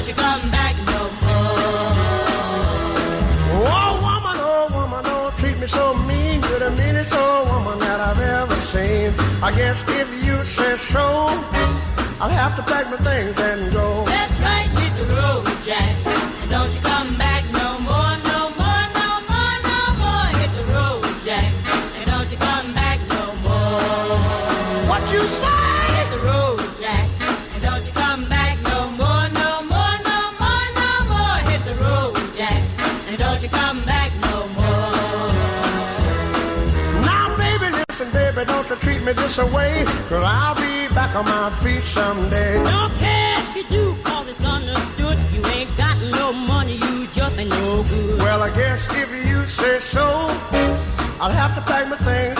don't you come back no more. Oh woman, don't treat me so mean. You're the meanest old woman that I've ever seen. I guess if you say so, I'll have to pack my things and go. That's right, hit the road, Jack. And don't you come back no more, no more, no more, no more. Hit the road, Jack. And don't you come back no more. What you say? Hit the road, Jack. And don't you come back no more, no more, no more, no more. Hit the road, Jack. And don't you come back no more. Now, baby, listen, baby, don't you treat me this away, 'cause I'll be back on my feet someday. Don't care if you do, call this understood. You ain't got no money, you just ain't no good. Well, I guess if you say so, I'll have to pack my things